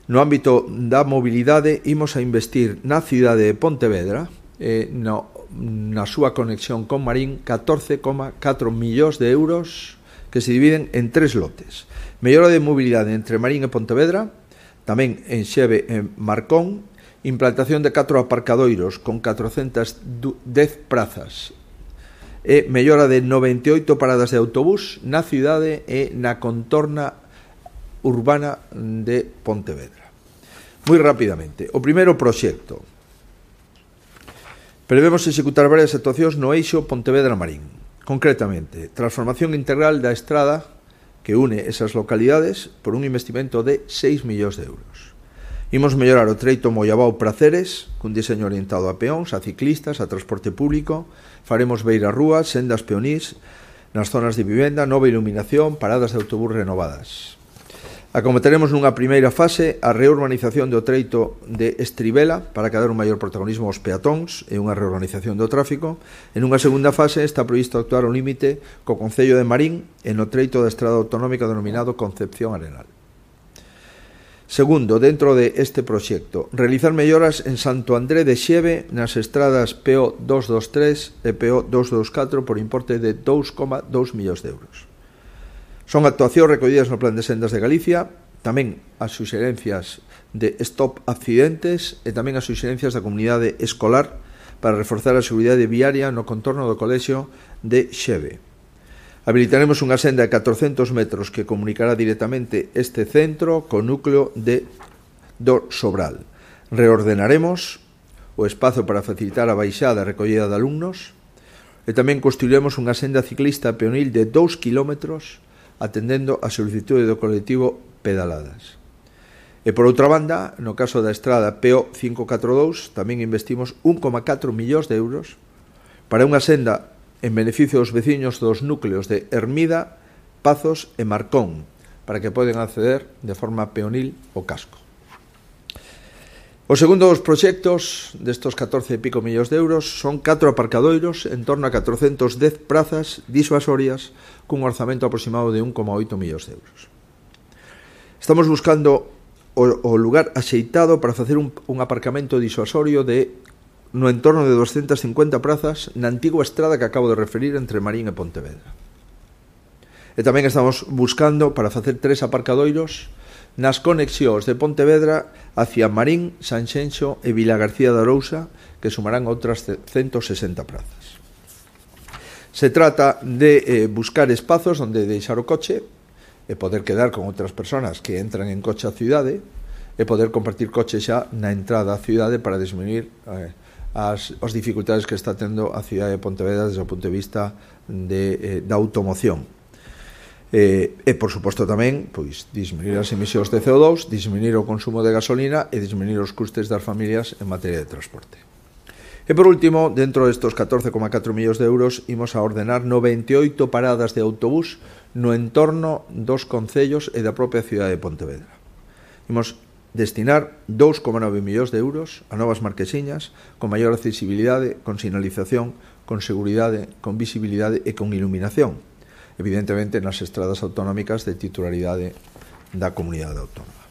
no ámbito da mobilidade, imos a investir na cidade de Pontevedra, na súa conexión con Marín, 14,4 millóns de euros que se dividen en 3 lotes. Mellora de mobilidade entre Marín e Pontevedra, tamén en Xeve e Marcón, implantación de 4 aparcadoiros con 410 prazas, e mellora de 98 paradas de autobús na cidade e na contorna urbana de Pontevedra. Moi rapidamente, o primeiro proxecto. Prevemos executar varias actuacións no eixo Pontevedra-Marín. Concretamente, transformación integral da estrada que une esas localidades por un investimento de 6 millóns de euros. Imos mellorar o treito Mollabao-Praceres cun diseño orientado a peóns, a ciclistas, a transporte público. Faremos beirarrúas, sendas peonís nas zonas de vivenda, nova iluminación, paradas de autobús renovadas. Acometeremos nunha primeira fase a reurbanización do treito de Estribela para que dar un maior protagonismo aos peatóns e unha reorganización do tráfico. En unha segunda fase está previsto actuar ao límite co concello de Marín e no treito da estrada autonómica denominado Concepción Arenal. Segundo, dentro de este proxecto, realizar melloras en Santo André de Xeve nas estradas PO 223 e PO 224 por importe de 2,2 millóns de euros. Son actuacións recollidas no Plan de Sendas de Galicia, tamén as suxerencias de Stop Accidentes e tamén as suxerencias da comunidade escolar para reforzar a seguridade viaria no contorno do colexio de Xeve. Habilitaremos unha senda de 400 metros que comunicará directamente este centro co núcleo do Sobral. Reordenaremos o espazo para facilitar a baixada e recollida de alumnos e tamén construiremos unha senda ciclista peonil de 2 kilómetros atendendo a solicitude do colectivo Pedaladas. E por outra banda, no caso da estrada PO 542, tamén investimos 1,4 millóns de euros para unha senda en beneficio dos veciños dos núcleos de Hermida, Pazos e Marcón, para que poden acceder de forma peonil ao casco. Os segundos proxectos destos 14 e pico millóns de euros son 4 aparcadoiros en torno a 410 prazas disuasorias cun orzamento aproximado de 1,8 millóns de euros. Estamos buscando o lugar axeitado para facer un aparcamento disuasorio no entorno de 250 prazas na antigua estrada que acabo de referir entre Marín e Pontevedra. E tamén estamos buscando para facer 3 aparcadoiros nas conexións de Pontevedra hacia Marín, Sanxenxo e Vilagarcía de Arousa, que sumarán outras 160 prazas. Se trata de buscar espazos onde deixar o coche e poder quedar con outras persoas que entran en coche á cidade e poder compartir coche xa na entrada á cidade para disminuir as dificultades que está tendo a cidade de Pontevedra desde o punto de vista da automoción. E, por suposto, tamén disminuir as emisións de CO2, disminuir o consumo de gasolina e disminuir os custes das familias en materia de transporte. E, por último, dentro destos 14,4 millóns de euros, imos a ordenar 98 paradas de autobús no entorno dos concellos e da propia cidade de Pontevedra. Imos destinar 2,9 millóns de euros a novas marquesiñas con maior accesibilidade, con sinalización, con seguridade, con visibilidade e con iluminación, evidentemente nas estradas autonómicas de titularidade da comunidade autónoma.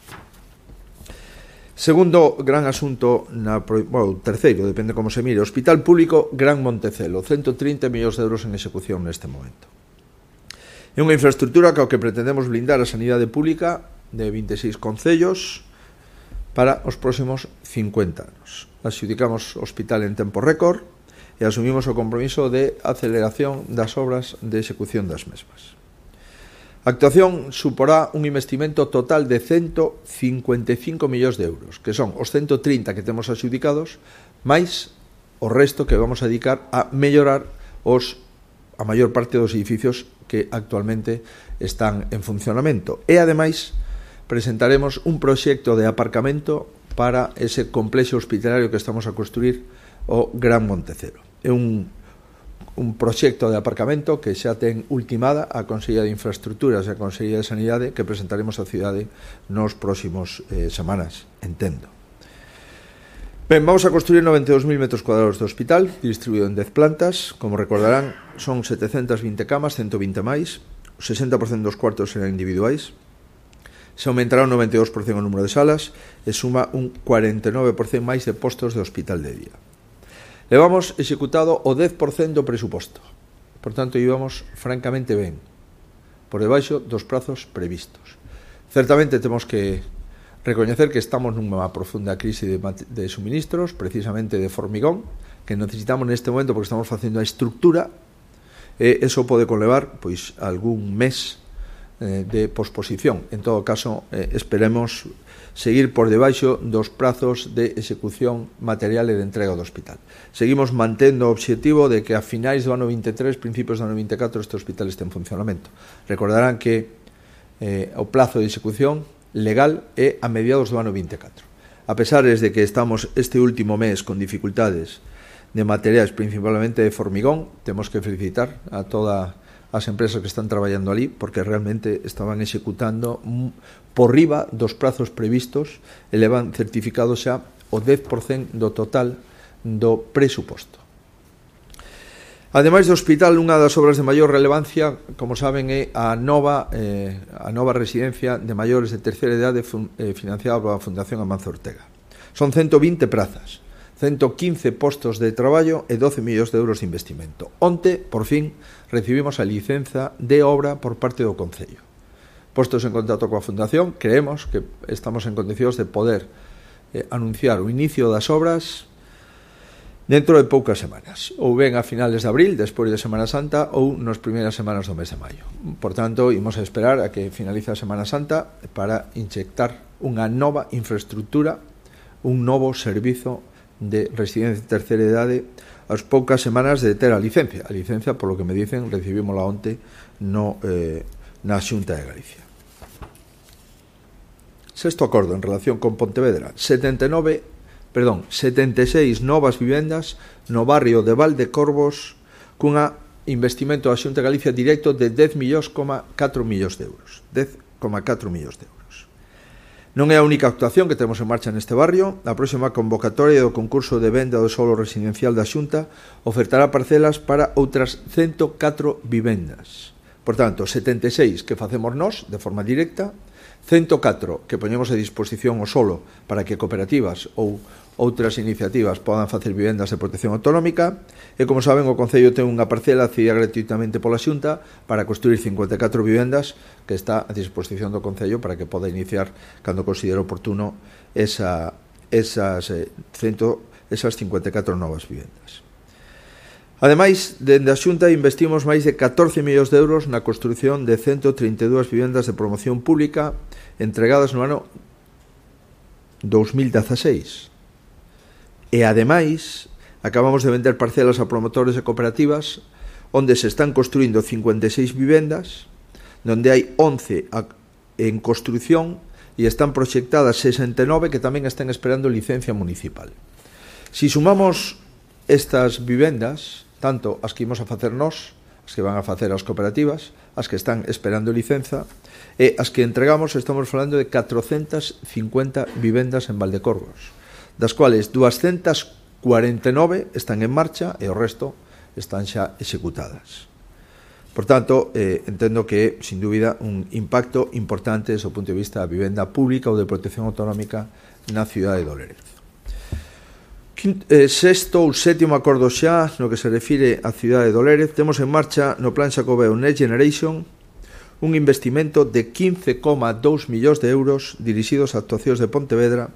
Segundo gran asunto, terceiro, depende como se mire, Hospital Público Gran Montecelo, 130 millóns de euros en execución neste momento. É unha infraestructura que pretendemos blindar a sanidade pública de 26 concellos para os próximos 50 anos. Adxudicamos o hospital en tempo récord e asumimos o compromiso de aceleración das obras de execución das mesmas. A actuación suporá un investimento total de 155 millóns de euros, que son os 130 que temos adxudicados, máis o resto que vamos a dedicar a mellorar a maior parte dos edificios que actualmente están en funcionamento. E, ademais, presentaremos un proxecto de aparcamento para ese complexo hospitalario que estamos a construir o Gran Montecelo. É un proxecto de aparcamento que xa ten ultimada a Consellería de Infraestructuras e a Consellería de Sanidade, que presentaremos á cidade nos próximos semanas, entendo. Ben, vamos a construir 92.000 metros cuadrados de hospital, distribuído en 10 plantas. Como recordarán, son 720 camas, 120 máis, o 60% dos cuartos serán individuais. Se aumentará un 92% o número de salas e suma un 49% máis de postos de hospital de día. Levamos executado o 10% do presuposto. Por tanto, íbamos francamente ben, por debaixo dos prazos previstos. Certamente temos que recoñecer que estamos nunha profunda crise de suministros, precisamente de formigón, que necesitamos neste momento porque estamos facendo a estructura, e eso pode conlevar algún mes de posposición. En todo caso, esperemos seguir por debaixo dos prazos de execución material e de entrega do hospital. Seguimos mantendo o obxectivo de que a finais do ano 23, principios do ano 24, este hospital este en funcionamento. Recordarán que o plazo de execución legal é a mediados do ano 24. A pesar de que estamos este último mes con dificultades de materiais, principalmente de formigón, temos que felicitar a todas as empresas que están traballando ali, porque realmente estaban executando por riba dos prazos previstos e levan certificado xa o 10% do total do presuposto. Ademais do hospital, unha das obras de maior relevancia, como saben, é a nova residencia de maiores de terceira idade financiada pola Fundación Amancio Ortega. Son 120 prazas, 115 postos de traballo e 12 millóns de euros de investimento. Onte, por fin, recibimos a licenza de obra por parte do Concello. Postos en contacto coa Fundación, creemos que estamos en condicións de poder anunciar o inicio das obras dentro de poucas semanas, ou ben a finales de abril, despois de Semana Santa, ou nas primeiras semanas do mes de maio. Por tanto, imos a esperar a que finalice a Semana Santa para inyectar unha nova infraestructura, un novo servizo de residencia de terceira idade as poucas semanas de ter a licencia. A licencia, polo que me dicen, recibímola onte na Xunta de Galicia. Sexto acordo en relación con Pontevedra. 76 novas vivendas no barrio de Valdecorvos cunha investimento da Xunta de Galicia directo de 10,4 millóns de euros. 10,4 millóns de euros. Non é a única actuación que temos en marcha neste barrio. A próxima convocatoria do concurso de venda do solo residencial da Xunta ofertará parcelas para outras 104 vivendas. Por tanto, 76 que facemos nós de forma directa, 104 que poñemos a disposición o solo para que cooperativas ou outras iniciativas podan facer vivendas de protección autonómica e, como saben, o Concello ten unha parcela cedida gratuitamente pola Xunta para construir 54 vivendas que está a disposición do Concello para que poda iniciar, cando considere oportuno, esas 54 novas vivendas. Ademais, dende a Xunta investimos máis de 14 millóns de euros na construción de 132 vivendas de promoción pública entregadas no ano 2016. E, ademais, acabamos de vender parcelas a promotores e cooperativas onde se están construindo 56 vivendas, onde hai 11 en construción e están proxectadas 69 que tamén están esperando licencia municipal. Si sumamos estas vivendas, tanto as que imos a facer nós, as que van a facer as cooperativas, as que están esperando licenza, e as que entregamos, estamos falando de 450 vivendas en Valdecorvos, das cuales 249 están en marcha e o resto están xa executadas. Por tanto, entendo que é, sin dúbida, un impacto importante desde o punto de vista da vivenda pública ou de protección autonómica na cidade de Lérez. Sexto ou sétimo acordo xa no que se refire á cidade de Lérez, temos en marcha no Plan Xacobeo Next Generation un investimento de 15,2 millóns de euros dirixidos a actuacións de Pontevedra,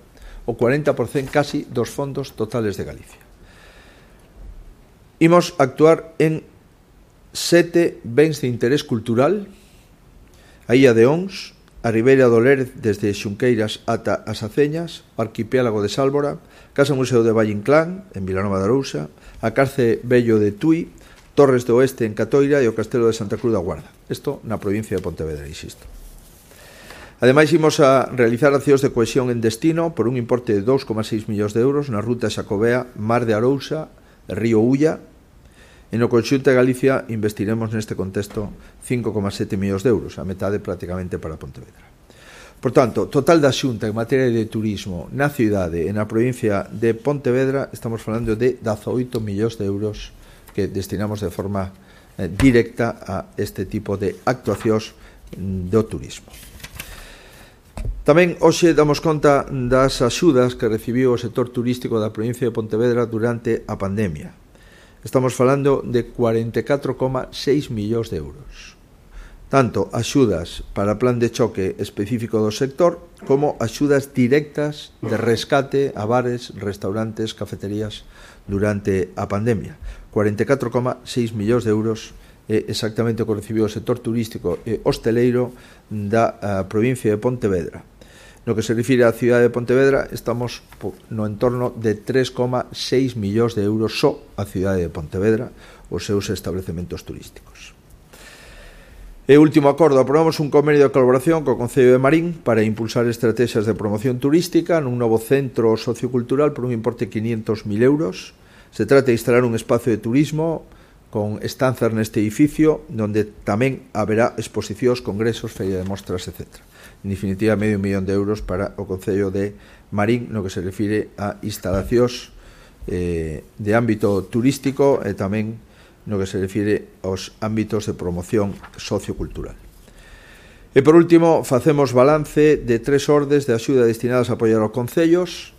o 40% casi dos fondos totales de Galicia. Imos actuar en 7 bens de interés cultural: a Illa de Ons, a Ribeira do Lérez desde Xunqueiras ata as Aceñas, o arquipélago de Sálvora, Casa Museo de Valle Inclán, en Vilanova de Arousa, a Carce Vello de Tui, Torres do Oeste en Catoira e o Castelo de Santa Cruz da Guarda. Isto na provincia de Pontevedra, insisto. Ademais, imos a realizar accións de cohesión en destino por un importe de 2,6 millóns de euros na ruta Xacobea, Mar de Arousa, Río Ulla. E no conxunto de Galicia investiremos neste contexto 5,7 millóns de euros, a metade prácticamente para Pontevedra. Por tanto, total da Xunta en materia de turismo na cidade e na provincia de Pontevedra, estamos falando de 18 millóns de euros que destinamos de forma directa a este tipo de actuacións do turismo. Tamén hoxe damos conta das axudas que recibiu o sector turístico da provincia de Pontevedra durante a pandemia. Estamos falando de 44,6 millóns de euros. Tanto axudas para plan de choque específico do sector como axudas directas de rescate a bares, restaurantes, cafeterías durante a pandemia. 44,6 millóns de euros exactamente o que recibiu o sector turístico e hosteleiro da provincia de Pontevedra. No que se refire á cidade de Pontevedra, estamos no entorno de 3,6 millóns de euros só a cidade de Pontevedra, os seus establecementos turísticos. E último acordo, aprobamos un convenio de colaboración co Concello de Marín para impulsar estrategias de promoción turística nun novo centro sociocultural por un importe de 500.000 euros. Se trata de instalar un espacio de turismo con estanzas neste edificio onde tamén haberá exposicións, congresos, feria de mostras, etc. En definitiva, medio millón de euros para o Concello de Marín no que se refire a instalacións de ámbito turístico e tamén no que se refire aos ámbitos de promoción sociocultural. E por último, facemos balance de 3 ordes de axuda destinadas a apoiar aos concellos.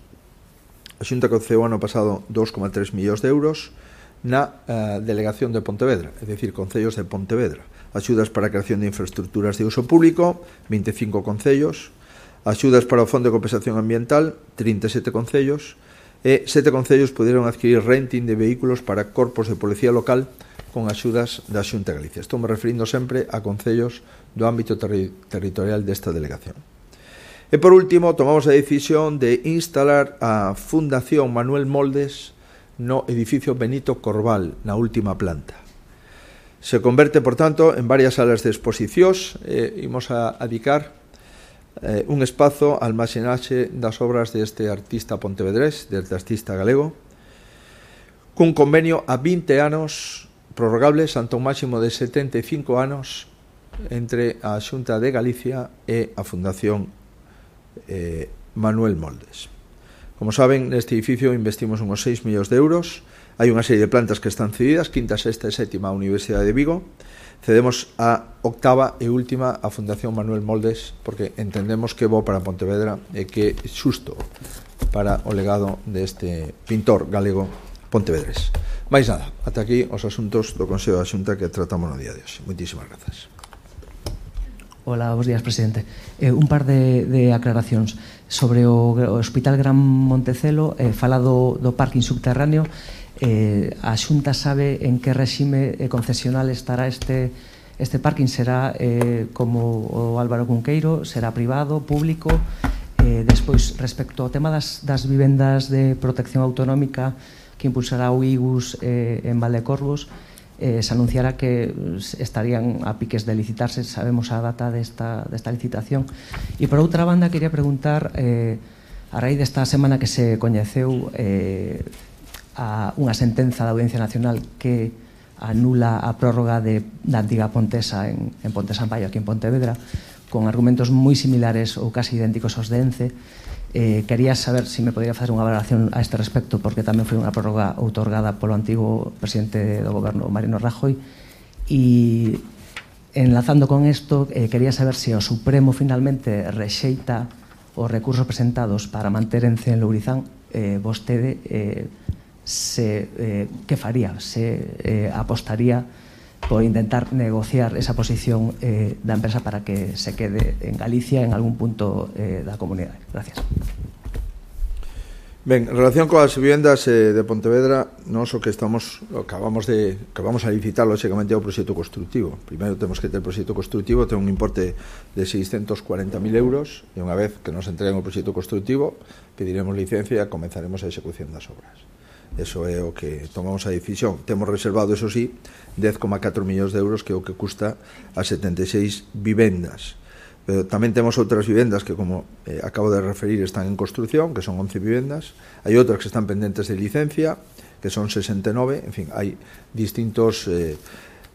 A Xunta concedeu ano pasado 2,3 millóns de euros na delegación de Pontevedra, é dicir, concellos de Pontevedra. Axudas para a creación de infraestructuras de uso público, 25 concellos. Axudas para o Fondo de Compensación Ambiental, 37 concellos. E 7 concellos puderon adquirir renting de vehículos para corpos de policía local con axudas da Xunta de Galicia. Estou me referindo sempre a concellos do ámbito territorial desta delegación. E por último, tomamos a decisión de instalar a Fundación Manuel Moldes no edificio Benito Corval, na última planta. Se converte, por tanto, en varias salas de exposicións. Imos a dedicar un espazo al almacenaxe das obras deste artista pontevedrés, deste artista galego, cun convenio a 20 anos prorrogables ante un máximo de 75 anos entre a Xunta de Galicia e a Fundación Manuel Moldes. Como saben, neste edificio investimos uns 6 millóns de euros. Hai unha serie de plantas que están cedidas, quinta, sexta e sétima a Universidade de Vigo. Cedemos a octava e última a Fundación Manuel Moldes porque entendemos que é bo para Pontevedra e que é xusto para o legado deste pintor galego pontevedrés. Mais nada, ata aquí os asuntos do Consello da Xunta que tratamos no día de hoxe. Moitísimas grazas. Hola, bons días, presidente. Un par de aclaracións sobre o Hospital Gran Montecelo, fala do parking subterráneo. A Xunta sabe en que réxime concesional estará este parking? Será como o Álvaro Cunqueiro? Será privado, público? Despois, respecto ao tema das vivendas de protección autonómica que impulsará o IGUS en Valdecorvos, se anunciará que estarían a piques de licitarse. Sabemos a data desta licitación. E por outra banda, quería preguntar, a raíz desta semana que se coñeceu a unha sentenza da Audiencia Nacional que anula a prórroga da antiga Pontesa en Pontesa Ambaio, aquí en Pontevedra, con argumentos moi similares ou casi idénticos aos de ENCE. Quería saber se me podría facer unha valoración a este respecto, porque tamén foi unha prórroga outorgada polo antigo presidente do goberno, Mariano Rajoy. E enlazando con isto, quería saber se o Supremo finalmente rexeita os recursos presentados para manter ENCE en Lourizán. Vostede que faría? Se apostaría por intentar negociar esa posición da empresa para que se quede en Galicia en algún punto da comunidade. Gracias. Ben, en relación coas vivendas de Pontevedra, nós o que acabamos a licitar lógicamente é o proxecto constructivo. Primeiro temos que ter o proxecto constructivo, ten un importe de 640.000 euros, e unha vez que nos entreguen o proxecto constructivo pediremos licencia e comenzaremos a execución das obras. Eso é o que tomamos a decisión. Temos reservado, eso sí, 10,4 millóns de euros, que é o que custa as 76 vivendas. Pero tamén temos outras vivendas que, como acabo de referir, están en construcción, que son 11 vivendas. Hai outras que están pendentes de licencia, que son 69. En fin, hai distintos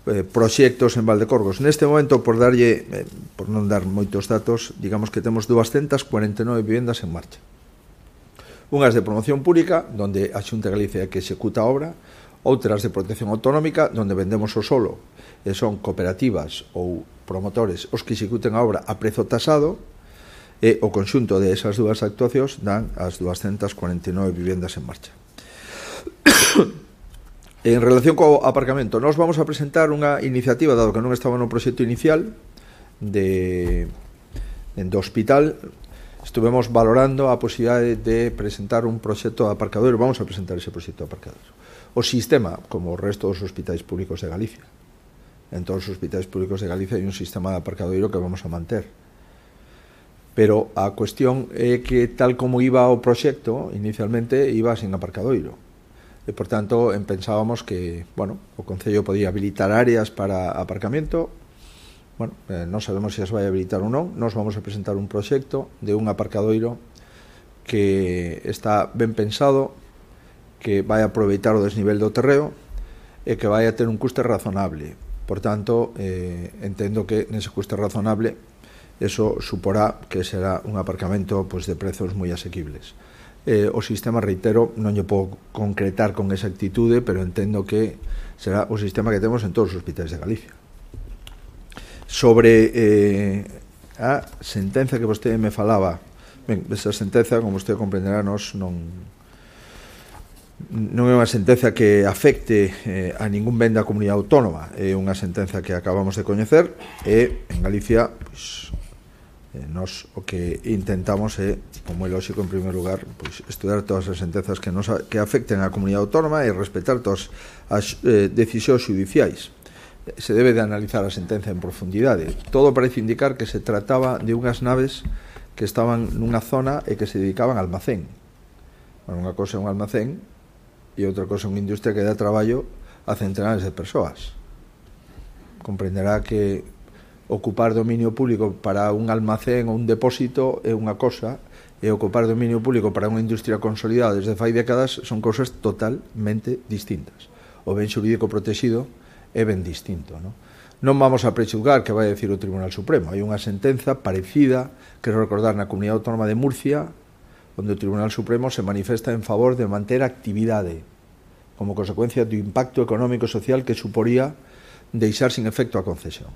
proxectos en Valdecorvos. Neste momento, por non dar moitos datos, digamos que temos 249 vivendas en marcha. Unhas de promoción pública, donde a Xunta de Galicia é que executa a obra, outras de protección autonómica, donde vendemos o solo, e son cooperativas ou promotores os que executen a obra a prezo tasado, e o conxunto de esas dúas actuacións dan as 249 vivendas en marcha. En relación co aparcamento, nós vamos a presentar unha iniciativa, dado que non estaba no proxecto inicial do hospital. Estuvemos valorando a posibilidade de presentar un proxecto de aparcador. Vamos a presentar ese proxecto de aparcador. O sistema, como o resto dos hospitais públicos de Galicia, En todos os hospitais públicos de Galicia hai un sistema de aparcadoiro que vamos a manter. Pero a cuestión é que tal como iba o proxecto, inicialmente iba sin aparcadoiro. E, por tanto, pensábamos que, bueno, o Concello podía habilitar áreas para aparcamento. Bueno, non sabemos se as vai habilitar ou non. Nos vamos a presentar un proxecto de un aparcadoiro que está ben pensado, que vai aproveitar o desnivel do terreo e que vai a ter un custe razonable. Por tanto, entendo que nese custe razonable eso suporá que será un aparcamento pues, de prezos moi asequibles. O sistema, reitero, non lle podo concretar con exactitude, pero entendo que será o sistema que temos en todos os hospitais de Galicia. Sobre a sentenza que vostede me falaba, ben, esa sentenza, como vostede comprenderá, non é unha sentenza que afecte a ningún ben da comunidade autónoma, é unha sentenza que acabamos de coñecer e en Galicia pois, nos o que intentamos é, como é lógico, en primeiro lugar, pois, estudar todas as sentenzas que afecten a comunidade autónoma e respetar todas as decisións judiciais. Se debe de analizar a sentenza en profundidade. Todo parece indicar que se trataba de unhas naves que estaban nunha zona e que se dedicaban a almacén. Bueno, unha cosa é un almacén e outra cosa é unha industria que dá traballo a centenares de persoas. Comprenderá que ocupar dominio público para un almacén ou un depósito é unha cosa e ocupar dominio público para unha industria consolidada desde fai décadas son cousas totalmente distintas. O ben xurídico protegido é ben distinto, non? Non vamos a prejuzgar que vai a decir o Tribunal Supremo. Hai unha sentenza parecida, que recordar, na Comunidade Autónoma de Murcia, onde o Tribunal Supremo se manifesta en favor de manter actividade como consecuencia do impacto económico e social que suporía deixar sin efecto a concesión.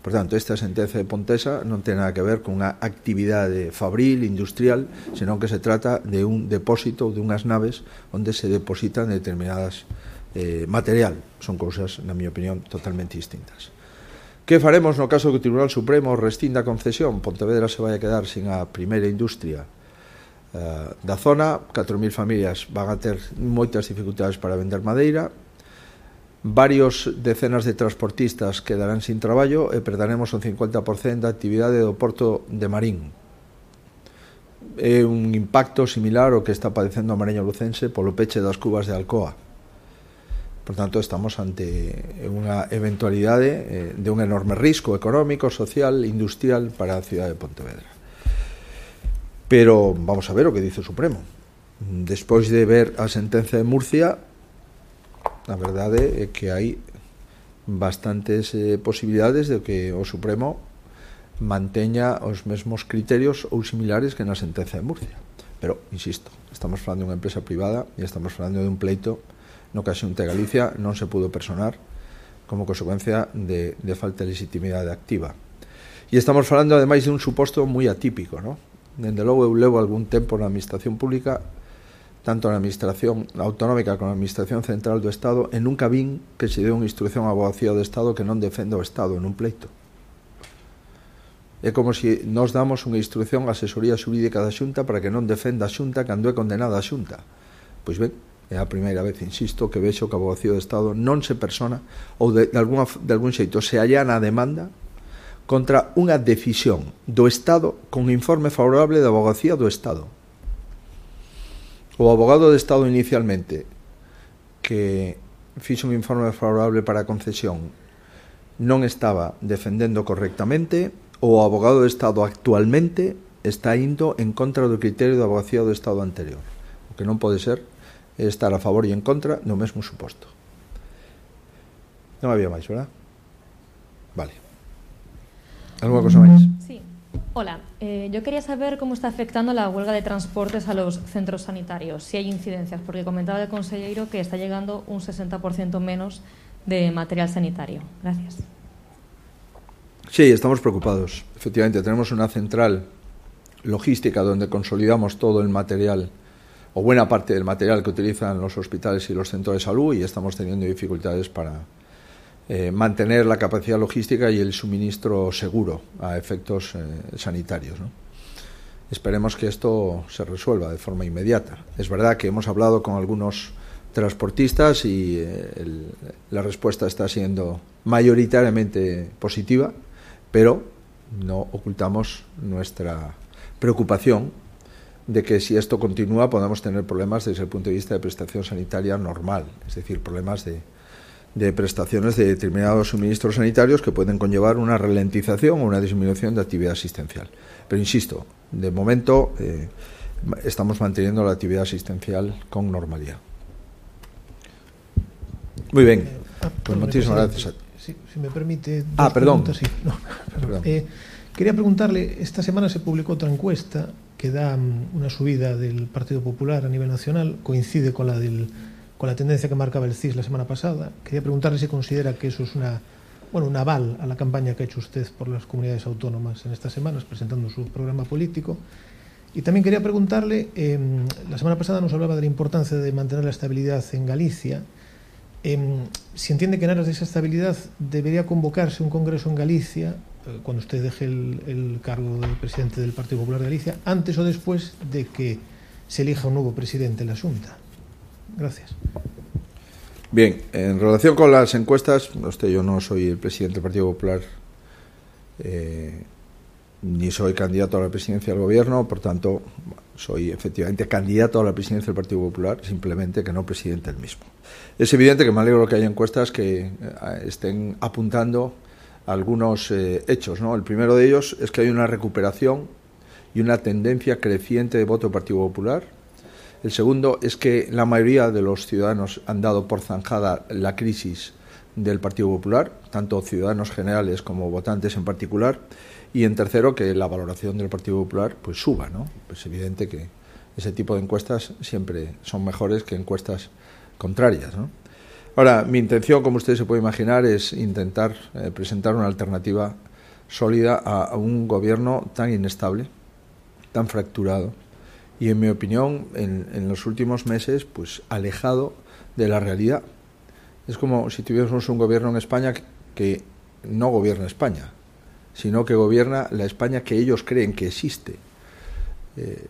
Por tanto, esta sentenza de Pontesa non ten nada que ver con unha actividade fabril, industrial, senón que se trata de un depósito ou de unhas naves onde se depositan determinadas material. Son cousas, na miña opinión, totalmente distintas. Que faremos no caso que o Tribunal Supremo rescinda a concesión? Pontevedra se vai a quedar sin a primeira industria da zona, 4.000 familias van a ter moitas dificultades para vender madeira, varios decenas de transportistas quedarán sin traballo e perderemos un 50% da actividade do porto de Marín. É un impacto similar ao que está padecendo a Mariña Lucense polo peche das cubas de Alcoa. Por tanto, estamos ante unha eventualidade de un enorme risco económico, social, industrial para a cidade de Pontevedra. Pero vamos a ver o que dice o Supremo. Despois de ver a sentenza de Murcia, a verdade é que hai bastantes posibilidades de que o Supremo manteña os mesmos criterios ou similares que na sentenza de Murcia. Pero, insisto, estamos falando de unha empresa privada e estamos falando de un pleito no que a Xunta de Galicia non se pudo personar como consecuencia de falta de legitimidade activa. E estamos falando, ademais, de un suposto moi atípico, non? Dende logo, eu levo algún tempo na administración pública, tanto na administración autonómica como na administración central do Estado, e nunca vin que se deu unha instrucción á Abogacía do Estado que non defenda o Estado en un pleito. É como se nos damos unha instrucción á asesoría xurídica da Xunta para que non defenda a Xunta cando é condenada a Xunta. Pois ben, é a primeira vez, insisto, que vexo que a Abogacía do Estado non se persona ou de algún xeito se allana a demanda contra unha decisión do Estado con informe favorable da Abogacía do Estado. O abogado do Estado inicialmente que fixo un informe favorable para a concesión non estaba defendendo correctamente, ou o abogado do Estado actualmente está indo en contra do criterio da Abogacía do Estado anterior. O que non pode ser é estar a favor e en contra no mesmo suposto. Non había máis, verdad? Vale. ¿Alguna cosa máis? Sí. Hola, yo quería saber cómo está afectando la huelga de transportes a los centros sanitarios, si hay incidencias, porque comentaba el consejero que está llegando un 60% menos de material sanitario. Gracias. Sí, estamos preocupados. Efectivamente, tenemos una central logística donde consolidamos todo el material, o buena parte del material que utilizan los hospitales y los centros de salud, y estamos teniendo dificultades para mantener la capacidad logística y el suministro seguro a efectos sanitarios, ¿no? Esperemos que esto se resuelva de forma inmediata. Es verdad que hemos hablado con algunos transportistas y la respuesta está siendo mayoritariamente positiva, pero no ocultamos nuestra preocupación de que si esto continúa podamos tener problemas desde el punto de vista de prestación sanitaria normal, es decir, problemas de prestaciones de determinados suministros sanitarios que pueden conllevar una ralentización o una disminución de actividad asistencial. Pero insisto, de momento estamos manteniendo la actividad asistencial con normalidad. Muy bien, pues muchísimas gracias. Si me permite... perdón. Sí. No, perdón. Quería preguntarle, esta semana se publicó otra encuesta que da una subida del Partido Popular a nivel nacional, coincide con la tendencia que marcaba el CIS la semana pasada. Quería preguntarle si considera que eso es un aval a la campaña que ha hecho usted por las comunidades autónomas en estas semanas, presentando su programa político. Y también quería preguntarle, la semana pasada nos hablaba de la importancia de mantener la estabilidad en Galicia. Si entiende que en aras de esa estabilidad debería convocarse un congreso en Galicia, cuando usted deje el cargo de presidente del Partido Popular de Galicia, antes o después de que se elija un nuevo presidente en la Xunta. Gracias. Bien, en relación con las encuestas, yo no soy el presidente del Partido Popular, ni soy candidato a la presidencia del Gobierno, por tanto, soy efectivamente candidato a la presidencia del Partido Popular, simplemente que no presidente del mismo. Es evidente que me alegro que haya encuestas que estén apuntando algunos hechos, ¿no? El primero de ellos es que hay una recuperación y una tendencia creciente de voto del Partido Popular. El segundo es que la mayoría de los ciudadanos han dado por zanjada la crisis del Partido Popular, tanto ciudadanos generales como votantes en particular. Y en tercero, que la valoración del Partido Popular pues suba, ¿no? Pues es evidente que ese tipo de encuestas siempre son mejores que encuestas contrarias, ¿no? Ahora, mi intención, como usted se puede imaginar, es intentar presentar una alternativa sólida a un gobierno tan inestable, tan fracturado y, en mi opinión, en los últimos meses, pues alejado de la realidad. Es como si tuviésemos un gobierno en España que no gobierna España, sino que gobierna la España que ellos creen que existe.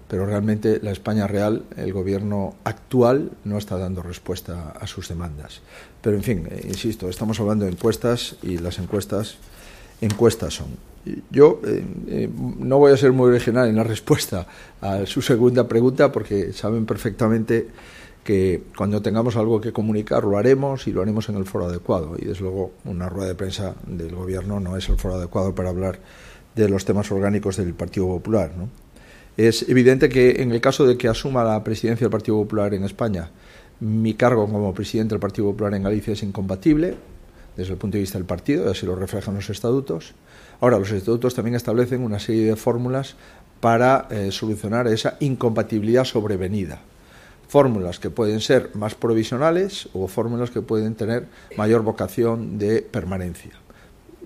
Pero realmente la España real, el gobierno actual, no está dando respuesta a sus demandas. Pero, en fin, insisto, estamos hablando de encuestas y las encuestas son. Yo no voy a ser muy original en la respuesta a su segunda pregunta, porque saben perfectamente que cuando tengamos algo que comunicar lo haremos y lo haremos en el foro adecuado. Y, desde luego, una rueda de prensa del Gobierno no es el foro adecuado para hablar de los temas orgánicos del Partido Popular, ¿no? Es evidente que en el caso de que asuma la presidencia del Partido Popular en España, mi cargo como presidente del Partido Popular en Galicia es incompatible desde el punto de vista del partido, y así lo reflejan los estatutos. Ahora, los estatutos también establecen una serie de fórmulas para solucionar esa incompatibilidad sobrevenida. Fórmulas que pueden ser más provisionales o fórmulas que pueden tener mayor vocación de permanencia.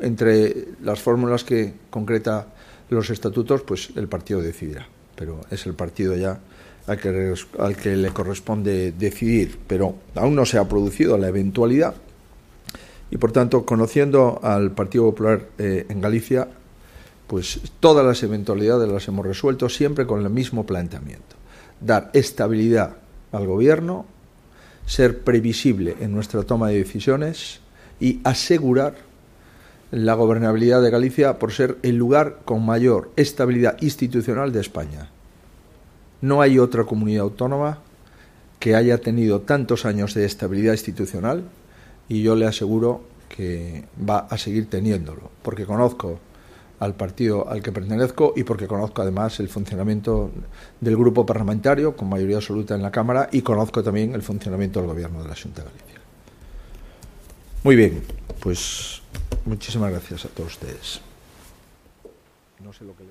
Entre las fórmulas que concreta los estatutos, pues el partido decidirá, pero es el partido ya al que le corresponde decidir, pero aún no se ha producido la eventualidad y, por tanto, conociendo al Partido Popular en Galicia, pues todas las eventualidades las hemos resuelto siempre con el mismo planteamiento: dar estabilidad al gobierno, ser previsible en nuestra toma de decisiones y asegurar la gobernabilidad de Galicia por ser el lugar con mayor estabilidad institucional de España. No hay otra comunidad autónoma que haya tenido tantos años de estabilidad institucional, y yo le aseguro que va a seguir teniéndolo, porque conozco al partido al que pertenezco y porque conozco además el funcionamiento del grupo parlamentario con mayoría absoluta en la Cámara, y conozco también el funcionamiento del Gobierno de la Xunta de Galicia. Muy bien, pues muchísimas gracias a todos ustedes. No sé lo que